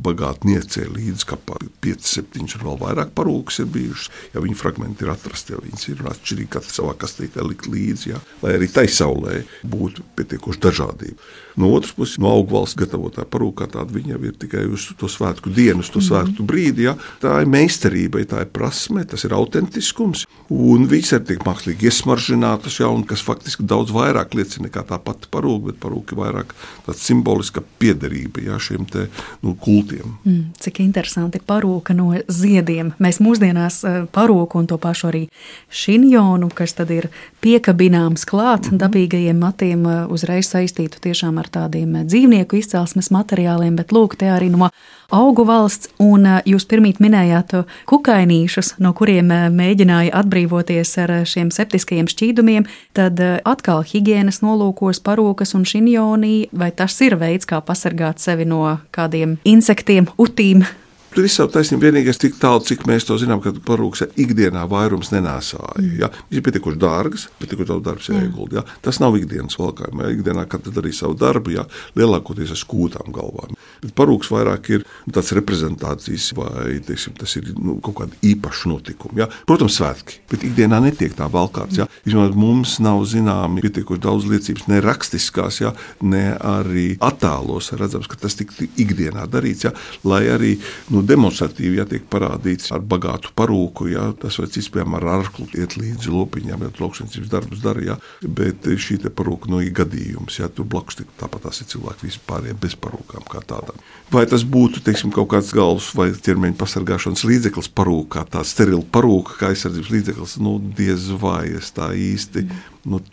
bagātniecei līdz kapā 5-7 un vēl vairāk parūkas ir bijušas. Viņi fragmenti ir atrasti, viņas ir atšķirīgi katra savā kastītē likt līdzi, lai arī tai saulē būtu pietiekoši dažādība. No otras puses, no augvalsts gatavotā parūkā tāda viņa ir tikai uz to svētku dienu, uz to svētku brīdi. Tā ir meistarība, tā ir prasme, tas ir autentiskums, un viņas arī tiek mākslīgi iesmaržinātas, un kas faktiski daudz vairāk liecina nekā tā pati parūka, bet parūka vairāk tāds simboliska piederība šiem te kultiem. Cik interesanti, parūka no ziediem. Mēs mūsdienās parūku un to pašu arī šinjonu, kas tad ir piekabināms klāt dabīgajiem matiem, uzreiz saistītu tiešām ar tādiem dzīvnieku izcelsmes materiāliem, bet lūk, te arī no augu valsts, un jūs pirmīt minējāt kukainīšus, no kuriem mēģināja atbrīvoties ar šiem septiskajiem šķīdumiem, tad atkal higienas nolūkos parūkas un šinjonī, vai tas ir veids, kā pasargāt sevi no kādiem insektiem, utīm? Tur ir savu taisnību, vienīgais tik tālu, cik mēs to zinām, ka parūkas ikdienā vairums nenēsāja. Viņš ir pietiekoši dārgas, pietiekoši daudz darbs jāiegulda. Tas nav ikdienas valkājumā. Ikdienā katrs darīja savu darbu, lielākoties ar skūtām galvām. Bet parūkas vairāk ir tāds reprezentācijas vai, tas ir kaut kāda īpaša notikuma. Protams, svētki, bet ikdienā netiek tā valkāts. Vismaz mums nav zināmi pietiekoši daudz liecības, ne rakstiskās, ne arī attēlos redzams, ka tas tik ikdienā darīts, lai arī demonstratīvi tiek parādīts ar bagātu parūku, tas vai cits, piemēram, ar arklu iet līdzi lopiņām, lauksaimniecības darbus dara, bet šī te parūka ir gadījums, tur blakus tāpat tās ir cilvēki vispārējie bez parūkām kā tādām. Vai tas būtu, kaut kāds galvas vai ķermeņa pasargāšanas līdzeklis parūkā, tā sterila parūka, kā aizsardzības līdzeklis, diez vai es tā īsti,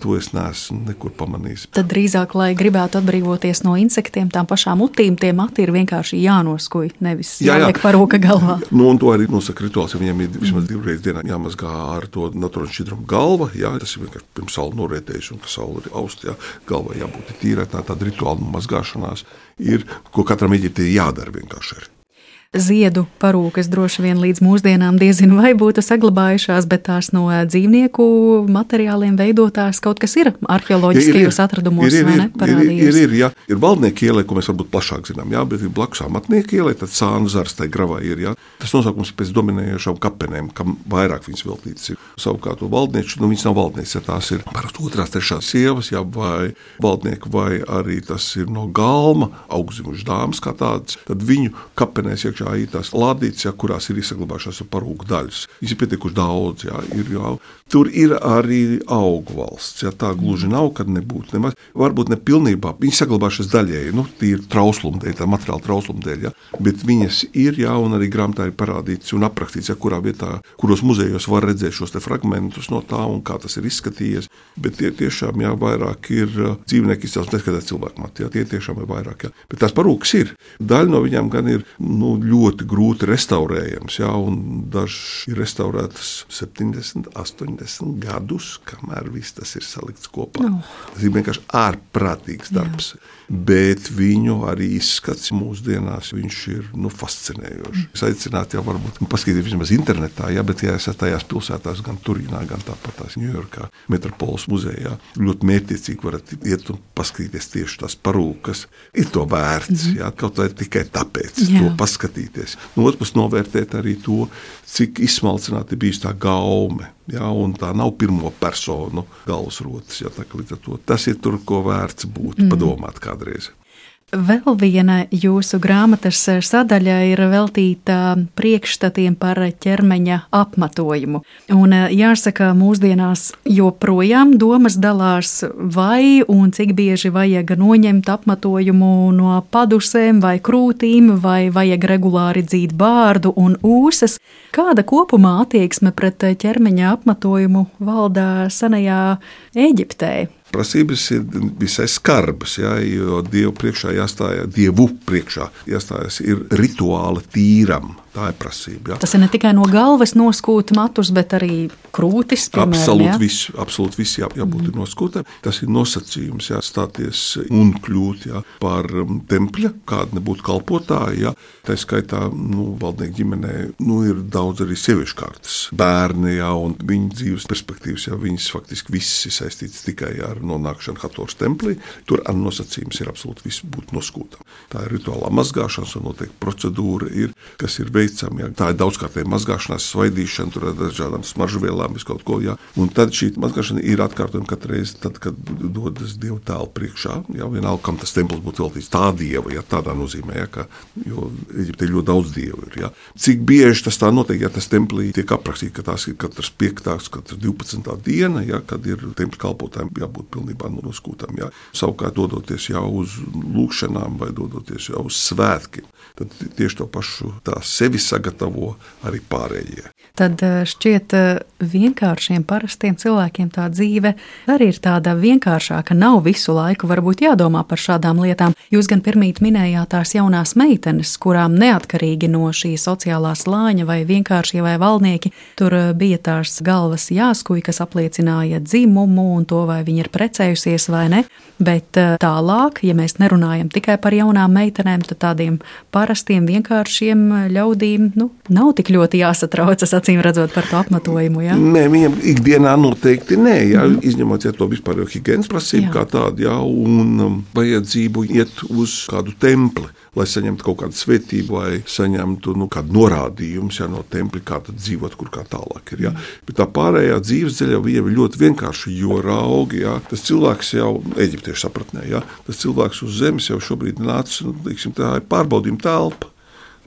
to es neesmu nekur pamanījis. Tad drīzāk, lai gribētu atbrīvoties no insektiem, tām pašām utīm, tie mati ir vienkārši jānoskuj, nevis jāliek parūka galvā. Un to arī nosaka rituāls, viņiem ir vismaz 2 reizes dienā jāmazgā ar to naturālu šķidrumu galva, tas ir vienkārši pirms saule norietējuši, un ka saule ir aust, galvā jābūt tīrai, tāda rituāla mazgāšanās ir, ko katram eģiptē jādara vienkārši arī. Ziedu parūkas droši vien līdz mūsdienām diezin vai būtu saglabājušās, bet tās no dzīvnieku materiāliem veidotās kaut kas ir arheoloģiskajos atradumos, vai ne, parādījies? Ir valdnieku ielē, ko mēs varbūt plašāk zinām, bet ir blakus amatnieku ielē, tad Sānu zars tai gravā ir, Tas nosaukums pēc dominējošām kapenēm, kam vairāk viņas veltītas ir. Savukārt to valdnieču, viņas nav valdnieks, tās ir parasti 2., 3. sievas, vai valdnieku, vai arī tas ir no galma, augzimušas dāmas kā tādas, tad viņu kapenēs iekšā ir tās lādītes, ja, kurās ir saglabājušās parūku daļas. Viņas ir pietiekuši daudz, ja, ir jau. Tur ir arī augu valsts, ja, tā gluži nav, kad nebūtu nemaz. Varbūt ne pilnībā, viņas saglabājušās daļēji, tīri trauslumdēļ, tā materiāla trauslumdēļ, ja, bet viņas ir, ja, un arī grāmatā ir parādīts un aprakstīts, ja, kurā vietā, kuros muzejos var redzēt šos te fragmentus no tā un kā tas ir izskatījies, bet tie tiešām, ja, vairāk ir dzīvnieki izcelsmes, neskatās cilvēku mati, ja, tie tiešām ir vairāk, ja. Bet tās parūkas ir. Daļa no viņām gan ir ļoti grūti restaurējams, ja, un dažas ir restaurētas 70, 80 gadus, kamēr viss tas ir salikts kopā. Tas ir vienkārši ārprātīgs darbs. Jā. Bet viņu arī izskats mūsdienās, viņš ir fascinējošs. Es aicinātu jau varbūt paskatīties vismaz internetā, ja, bet ja esat tajās pilsētās, gan Turīnā, gan tāpatās Ņujorkā, Metropoles muzejā, ļoti mērķiecīgi varat iet un paskatīties tieši tās parūkas. Ir to vērts, ja, kaut vai tikai tāpēc to paskatīties. No otras puses novērtēt arī to, cik izsmalcināti bijis tā gaume. Ja, un tā nav pirmo personu galvasrotas. Ja, līdz ar to tas ir tur, ko vērts būt, padomāt kādreiz. Vēl viena jūsu grāmatas sadaļa ir veltīta priekšstatiem par ķermeņa apmatojumu. Un jāsaka, mūsdienās joprojām domas dalās, vai un cik bieži vajag noņemt apmatojumu no padusēm vai krūtīm, vai vajag regulāri dzīt bārdu un ūsas. Kāda kopumā attieksme pret ķermeņa apmatojumu valda senajā Ēģiptē? Prasības ir visai skarbas, ja, jo Dievu priekšā jāstājas ir rituāli tīram. Tā ir prasība. Ja. Tas ir ne tikai no galvas noskūt matus, bet arī krūtis, piemēram. Absolūti viss jābūt noskūtam. Tas ir nosacījums, ja, stāties un kļūt, ja, par tempļa, kāda nebūtu kalpotāja. Ja. Tā skaitā, valdnieku ģimenē, ir daudz arī sieviešu kārtas bērni, ja, un viņu dzīves perspektīvas, ja, viņas faktiski viss ir saistīts tikai ar nonākšanu Hatoras templī. Tur ar nosacījums ir absolūti viss būt noskūtam. Tā ir rituālā mazgāšanas un noteikti procedūra ir, kas ir veicama. Ja. Tā ir daudzkārtēja mazgāšanās, svaidīšana, tur ar dažādām smaržuvielām, viskaut ko. Ja. Un tad šī mazgāšana ir atkārtojama katru reizi, tad, kad dodas Dieva tēlu priekšā. Ja. Vienalga, kam tas templis būtu veltīts tā Dieva, ja, tādā nozīmē, ja, jo Eģiptē ļoti daudz Dievu ir. Ja. Cik bieži tas tā notiek, ja tas templī tiek aprakstīts, ka tās ir katrs 5. katrs 12. diena, ja, kad ir tempļa kalpotājiem jābūt pilnībā noskūtam. Ja. Savukārt dodoties jau uz lūkšanām vai dodoties jau uz svētkiem, tad tieši to pašu tā sevi sagatavo arī pārējie. Tad šķiet vienkāršiem, parastiem cilvēkiem tā dzīve arī ir tāda vienkāršāka, nav visu laiku varbūt jādomā par šādām lietām. Jūs gan pirmīt minējāt tās jaunās meitenes, kurām neatkarīgi no šī sociālā slāņa vai vienkāršie vai valdnieki, tur bija tās galvas jāskuj, kas apliecināja dzimumu un to, vai viņi ir precējusies vai ne, bet tālāk, ja mēs nerunājam tikai par jaunām meitenēm, tad tādiem parastiem, vienkāršiem ļaudīm, nav tik ļoti jāsatraucas, acīm redzot, par to apmatojumu, ja? Nē, viņam ikdienā noteikti nē, ja, izņemot, ja to vispār jau higienas prasību kā tādu, ja, un vajadzību iet uz kādu templi, lai saņemtu kaut kādu svētību vai saņemtu kādu norādījumu, ja, no templi, kā tad dzīvot, kur kā tālāk ir. Ja. Bet tā pārējā dzīves ceļa viņam ir ļoti vienkārši, jo raugi, ja, tas cilvēks jau eģiptiešu sapratnē, ja, tas cilvēks uz zemes jau šobrīd nāca, tā ir pārbaudījuma telpa.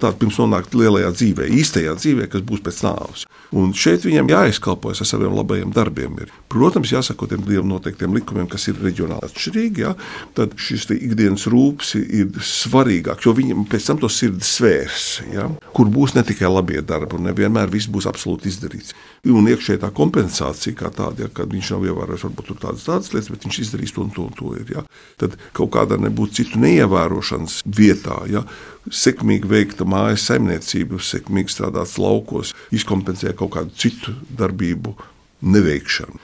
Tāda pirms nonākt lielajā dzīvē, īstajā dzīvē, kas būs pēc nāves. Un šeit viņam jāizkalpojas ar saviem labajiem darbiem. Protams, jāsako tiem Dievam noteiktiem likumiem, kas ir reģionāli atšķirīgi, ja? Tad šis ikdienas rūpes ir svarīgāks, jo viņam pēc tam to sirdi svērs, ja? Kur būs ne tikai labie darbi, un nevienmēr viss būs absolūti izdarīts. Un iekšēji tā kompensācija kā tāda, ja, kad viņš nav ievērojis varbūt tur tādas lietas, bet viņš izdarīs to un to un to ir. Ja? Tad kaut kādā nebūtu citu neievērošanas vietā, ja? Sekmīgi veikta mājas saimniecība, sekmīgi strādāts laukos, izkompensēja kaut kādu citu darbību neveikšanu.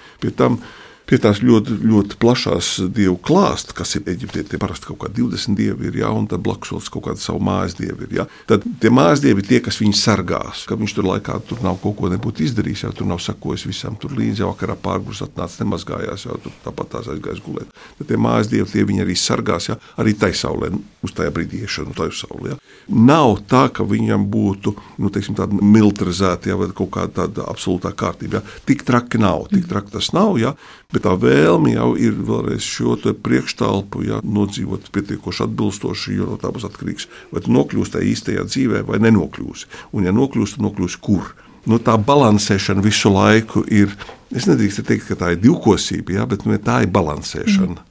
Pie tās ļoti, ļoti plašās dievu klāsta, kas ir Eģiptē, tie parasti kaut kā 20 dievi ir, ja, un tad blakus kaut kāda savu mājas dievi ir. Ja. Tad tie mājas dievi ir tie, kas viņu sargās, ka viņš tur laikā tur nav kaut ko nebūtu izdarījis, jau tur nav sakojis visam tur līdzi, jau vakarā pārgurs atnāca, nemazgājās, jau tur tāpat tās aizgājis gulēt. Tad tie mājas dievi, tie viņi arī sargās, ja, arī tai saulē, uz tajā brīdī iešana, tai saulē. Ja. Nav tā, ka viņam būtu, teiksim, tāda militarizēta, ja, vai kaut kāda tāda absolūtā kārtība. Ja. Tik traki nav, tik traki tas nav, ja. Bet tā vēlme jau ir vēlreiz šo priekštelpu nodzīvot pietiekoši atbilstoši, jo no tā būs atkarīgs, vai tu nokļūsi tajā īstajā dzīvē vai nenokļūsi. Un ja nokļūsi, tad nokļūsi kur? Tā balansēšana visu laiku ir, es nedrīkstu teikt, ka tā ir divkosība, bet tā ir balansēšana.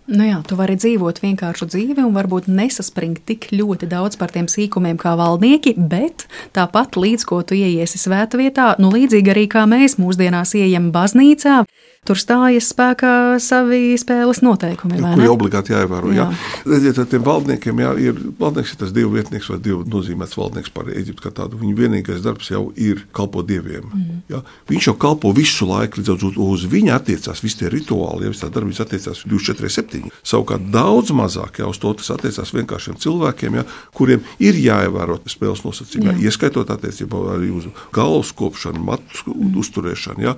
Tu vari dzīvot vienkāršu dzīvi un varbūt nesaspringt tik ļoti daudz par tiem sīkumiem kā valdnieki, bet tāpat līdz ko tu ieiesi svētvietā, līdzīgi arī kā mēs mūsdienās ieejam baznīcā, tur stājas spēkā savi spēles noteikumi, vai ne? Kuri obligāti jāievēro, Redziet, ar tiem valdniekiem, valdnieks ir tas dievu vietnieks vai dievu nozīmēts valdnieks par Eģiptu kā tādu. Viņa vienīgais darbs jau ir kalpot dieviem. Viņš jau kalpo visu laiku, līdz uz viņa attiecās visi tie rituāli, visi tā darbības attiecās 24/7. Savukārt daudz mazāk uz to tas attiecās vienkāršiem cilvēkiem, kuriem ir jāievēro spēles nosacījumi, ieskaitot attiecībā arī uz galvas kopšanu, matu uzturēšanu,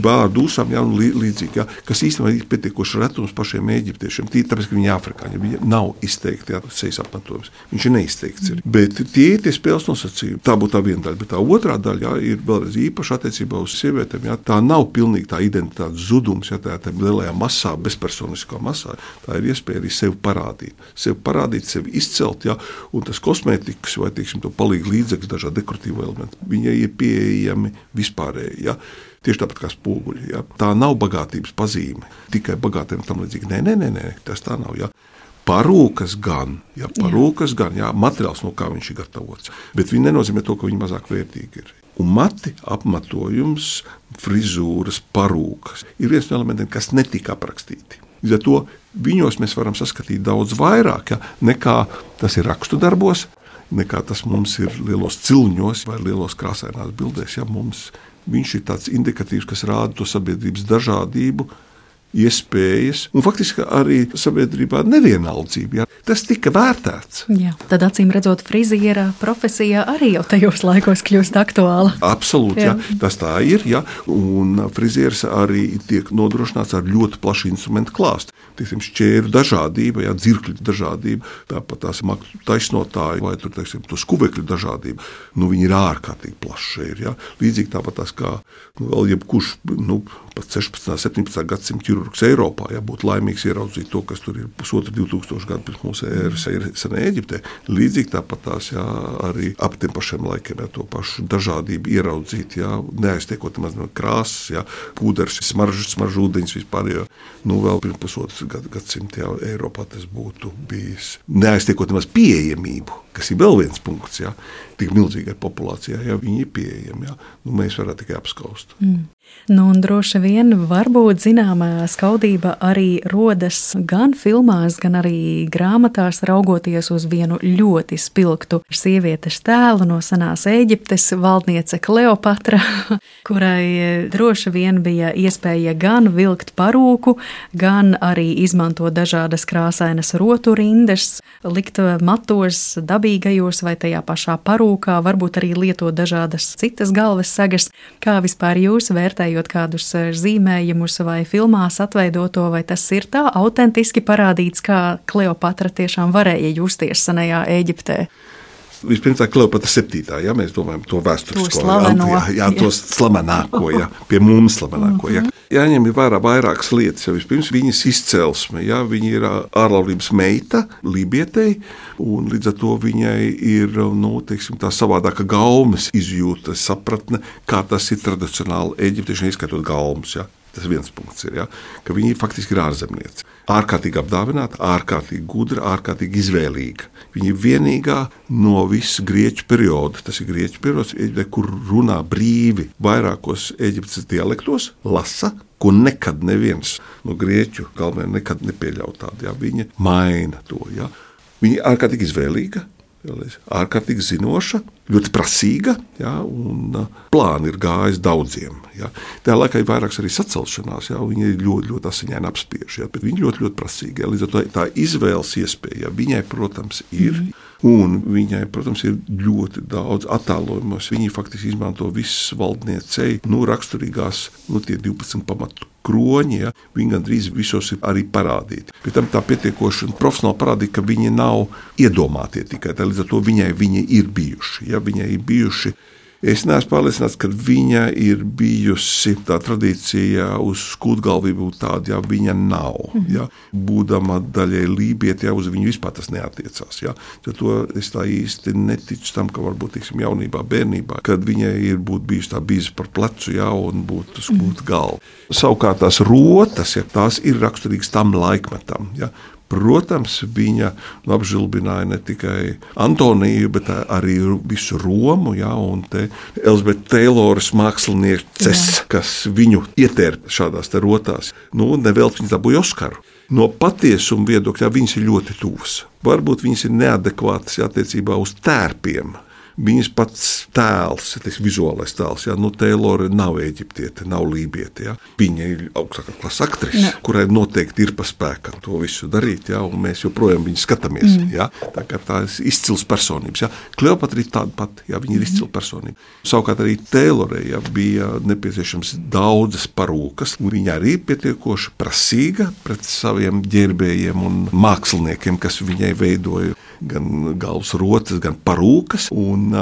bārdu usām, līdzīgi, kas īstenībā ir pietiekoši retums pašiem eģiptiešiem, tāpēc, ka viņi ir afrikāņi, viņi nav izteikti sejas apmetojums, viņš ir neizteikts. Bet tie ir tie spēles nosacījumi, tā būtu tā viena daļa, bet tā otrā daļa ir vēlreiz īpaši attiecībā uz sievietēm, tā nav pilnīgi tā identitātes zudums, tā lielajā masā, bezpersoniskā masā, tā ir iespēja arī sevi parādīt, sevi izcelt, un tas kosmētikas vai, to palīgu līdzekļus, dažādi dekoratīvi elementi, viņai ir pieejami vispārēji, Tieši tāpat kā spoguļi. Tā nav bagātības pazīme. Tikai bagātiem tam līdzīgi. Nē, tas tā nav. Parūkas gan, materiāls, no kā viņš ir gatavots. Bet viņi nenozīmē to, ka viņi mazāk vērtīgi ir. Un mati, apmetojums, frizūras, parūkas ir viens no elementiem, kas netika aprakstīti. Līdz ar to viņos mēs varam saskatīt daudz vairāk, nekā tas ir rakstu darbos, nekā tas mums ir lielos cilņos vai lielos krāsainās bildēs. Viņš ir tāds indikatīvs, kas rāda to sabiedrības dažādību, iespējas un faktiski arī sabiedrībā nevienaldzību. Tas tika vērtēts. Tad acīm redzot, friziera profesija arī jau tajos laikos kļūst aktuāla. Absolūti, tas tā ir. Un frizieris arī tiek nodrošināts ar ļoti plašu instrumentu klāstu. Šķēru dažādība, dzirkļu dažādība, tāpat tās maktu taisnotāji vai to skuvekļu dažādība. Viņi ir ārkārtīgi plaši. Līdzīgi tāpat tās kā vēl jebkurš pat 16. 17. gadsimta ķirurgs Eiropā, būtu laimīgs ieraudzīt to, kas tur ir 2000 gadu pirms mūsu ēras senē Eģiptē. Līdzīgi tāpat tās arī ap tiem pašiem laikiem to pašu dažādību ieraudzīt, neaiztiekot maz no krāsas, pūders, smaržu ūdeņus vispār, vēl pirms pusotras gadsimta Eiropā tas būtu bijis. Neaiztiekot maz pieejamību, kas ir vēl viens punkts, tik milzīgai populācijai, viņi ir pieejami, mēs varētu tikai apskaust. Un droši vien varbūt zināmā skaudība arī rodas gan filmās, gan arī grāmatās, raugoties uz vienu ļoti spilgtu sievietes tēlu no senās Ēģiptes, valdniece Kleopatra, kurai droši vien bija iespēja gan vilkt parūku, gan arī izmantot dažādas krāsainas roturindas, likt matos, dabīgajos vai tajā pašā parūkā, varbūt arī lietot dažādas citas galvas sagas. Kā vispār jūs vērtējot kādus zīmējumus vai filmās atveidoto, vai tas ir tā autentiski parādīts, kā Kleopatra tiešām varēja justies senajā Ēģiptē? Vispirms tā Kleopatra 7. Mēs domājam to vēsturisko. To slavenāko, pie mums slavenāko. Jāņem vērā vairākas lietas. Vispirms viņas izcelsme. Viņa ir ārlaulības meita, lībietei, un līdz ar to viņai ir tā savādāka gaumes izjūta, sapratne, kā tas ir tradicionāli eģiptieši, izskaitot gaumes. Tas viens punkts ir, ka viņi faktiski ir ārzemnieci. Ārkārtīgi apdāvināta, ārkārtīgi gudra, ārkārtīgi izvēlīga. Viņa ir vienīgā no visa grieķu perioda. Tas ir grieķu periods, kur runā brīvi vairākos Eģiptes dialektos, lasa, ko nekad neviens no grieķu galvenajiem nekad nepieļauj tādu. Viņa maina to. Viņa ir ārkārtīgi izvēlīga, ārkārtīgi zinoša, ļoti prasīga, un plāni ir gājis daudziem. Tā laikā ir vairākas arī sacelšanās, viņa ir ļoti, ļoti asiņaini apspiež, bet viņa ļoti, ļoti prasīga. Līdz ar to tā izvēles iespēja viņai, protams, ir. Un viņai, protams, ir ļoti daudz attēlojumos. Viņi faktiski izmanto visas valdniecei, raksturīgās, tie 12 pamatu kroņi, viņi gandrīz visos ir arī parādīti. Pēc tam tā pietiekoši profesionāli parādīja, ka viņi nav iedomātie tikai. Līdz ar to viņi ir bijuši. Viņai ir bijuši Es neesmu pārliecināts, ka viņa ir bijusi tā tradīcija uz skūtgalvību tāda, ja viņa nav. Ja. Būdama daļai lībieti, ja uz viņu vispār tas neatiecās. Ja. To es tā īsti neticu tam, ka varbūt jaunībā, bērnībā, kad viņai ir bijusi tā bīze par plecu, ja, un būtu skūtgalva. Savukārt tās rotas, ja, tās ir raksturīgas tam laikmetam. Ja. Protams, viņa apžilbināja ne tikai Antoniju, bet arī visu Romu, ja, un te Elizabete Tayloras mākslinieces, kas viņu ietērpa šādās te rotās. Nevelti viņa dabūja Oskaru. No patiesuma viedokļa viņas ir ļoti tuvas. Varbūt viņas ir neadekvātas attiecībā uz tērpiem. Viņas pats tēls, vizuālais tēls, ja, Taylora nav eģiptiete, nav lībiete. Ja. Viņa ir augstākā klases aktrise, kurai noteikti ir pa spēkam to visu darīt, ja, un mēs joprojām viņu skatāmies. Ja. Tā ir izcils personības. Ja. Kleopatra ir tāda pati, ja, viņa ir izcila personība. Savukārt arī Taylorai, ja, bija nepieciešams daudzas parūkas, un viņa arī pietiekoši prasīga pret saviem ģērbējiem un māksliniekiem, kas viņai veidoja gan galvas rotas, gan parūkas, un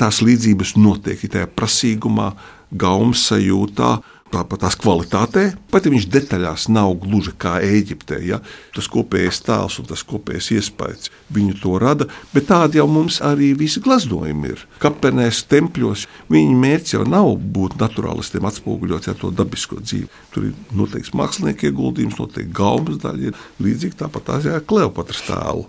tās līdzības notiek tajā prasīgumā, gaumas sajūtā, tāpat tās kvalitātē, pat ja viņš detaļās nav gluži kā Ēģiptē, ja, tas kopējais tēls un tas kopējais iespējas viņu to rada, bet tādi jau mums arī visi glaznojumi ir. Kapenēs, tempļos, viņa mērķis jau nav būt naturālistiem atspoguļot, ja, to dabisko dzīvi. Tur ir noteikts mākslinieki ieguldījums, noteikti gaumas daļa, ir līdzīgi tāpat tās Kleopatras tēlu.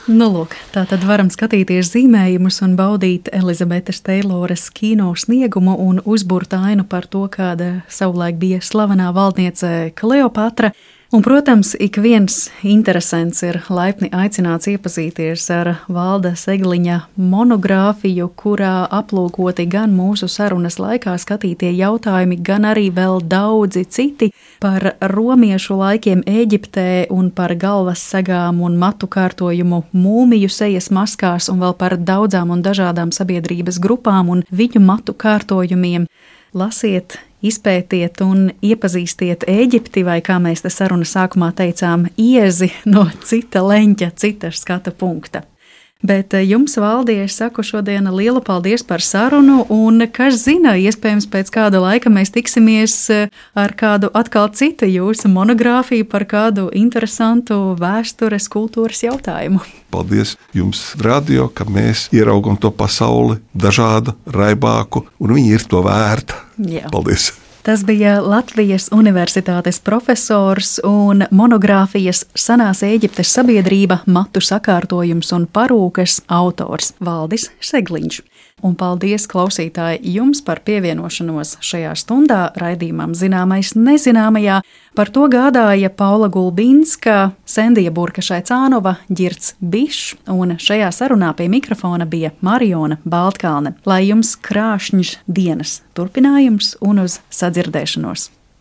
Lūk, tā tad varam skatīties zīmējumus un baudīt Elizabetes Tayloras kino sniegumu un uzburt ainu par to, kāda savulaik bija slavenā valdniece Kleopatra. Un, protams, ik viens interesants ir laipni aicināts iepazīties ar Valda Segliņa monogrāfiju, kurā aplūkoti gan mūsu sarunas laikā skatītie jautājumi, gan arī vēl daudzi citi par romiešu laikiem Ēģiptē un par galvas segām un matu kārtojumu mūmiju sejas maskās un vēl par daudzām un dažādām sabiedrības grupām un viņu matu kārtojumiem. Lasiet, izpētiet un iepazīstiet Ēģipti, vai, kā mēs te sarunas sākumā teicām, iezi no cita leņķa, cita skata punkta. Bet jums, Valdi, es saku šodien lielu paldies par sarunu, un kas zina, iespējams pēc kāda laika mēs tiksimies ar kādu atkal citu jūsu monogrāfiju par kādu interesantu vēstures, kultūras jautājumu. Paldies jums, radio, ka mēs ieraugam to pasauli dažādu, raibāku, un viņi ir to vērta. Jā. Paldies! Tas bija Latvijas Universitātes profesors un monogrāfijas Senās Ēģiptes sabiedrība, matu sakārtojums un parūkas autors Valdis Segliņš. Un paldies, klausītāji, jums par pievienošanos šajā stundā raidījumam Zināmais nezināmajā. Par to gādāja Paula Gulbinska, Sendija Burka-Šaicānova, Ģirds Bišs, un šajā sarunā pie mikrofona bija Mariona Baltkalne. Lai jums krāšņš dienas turpinājums un uz sadzirdēšanos!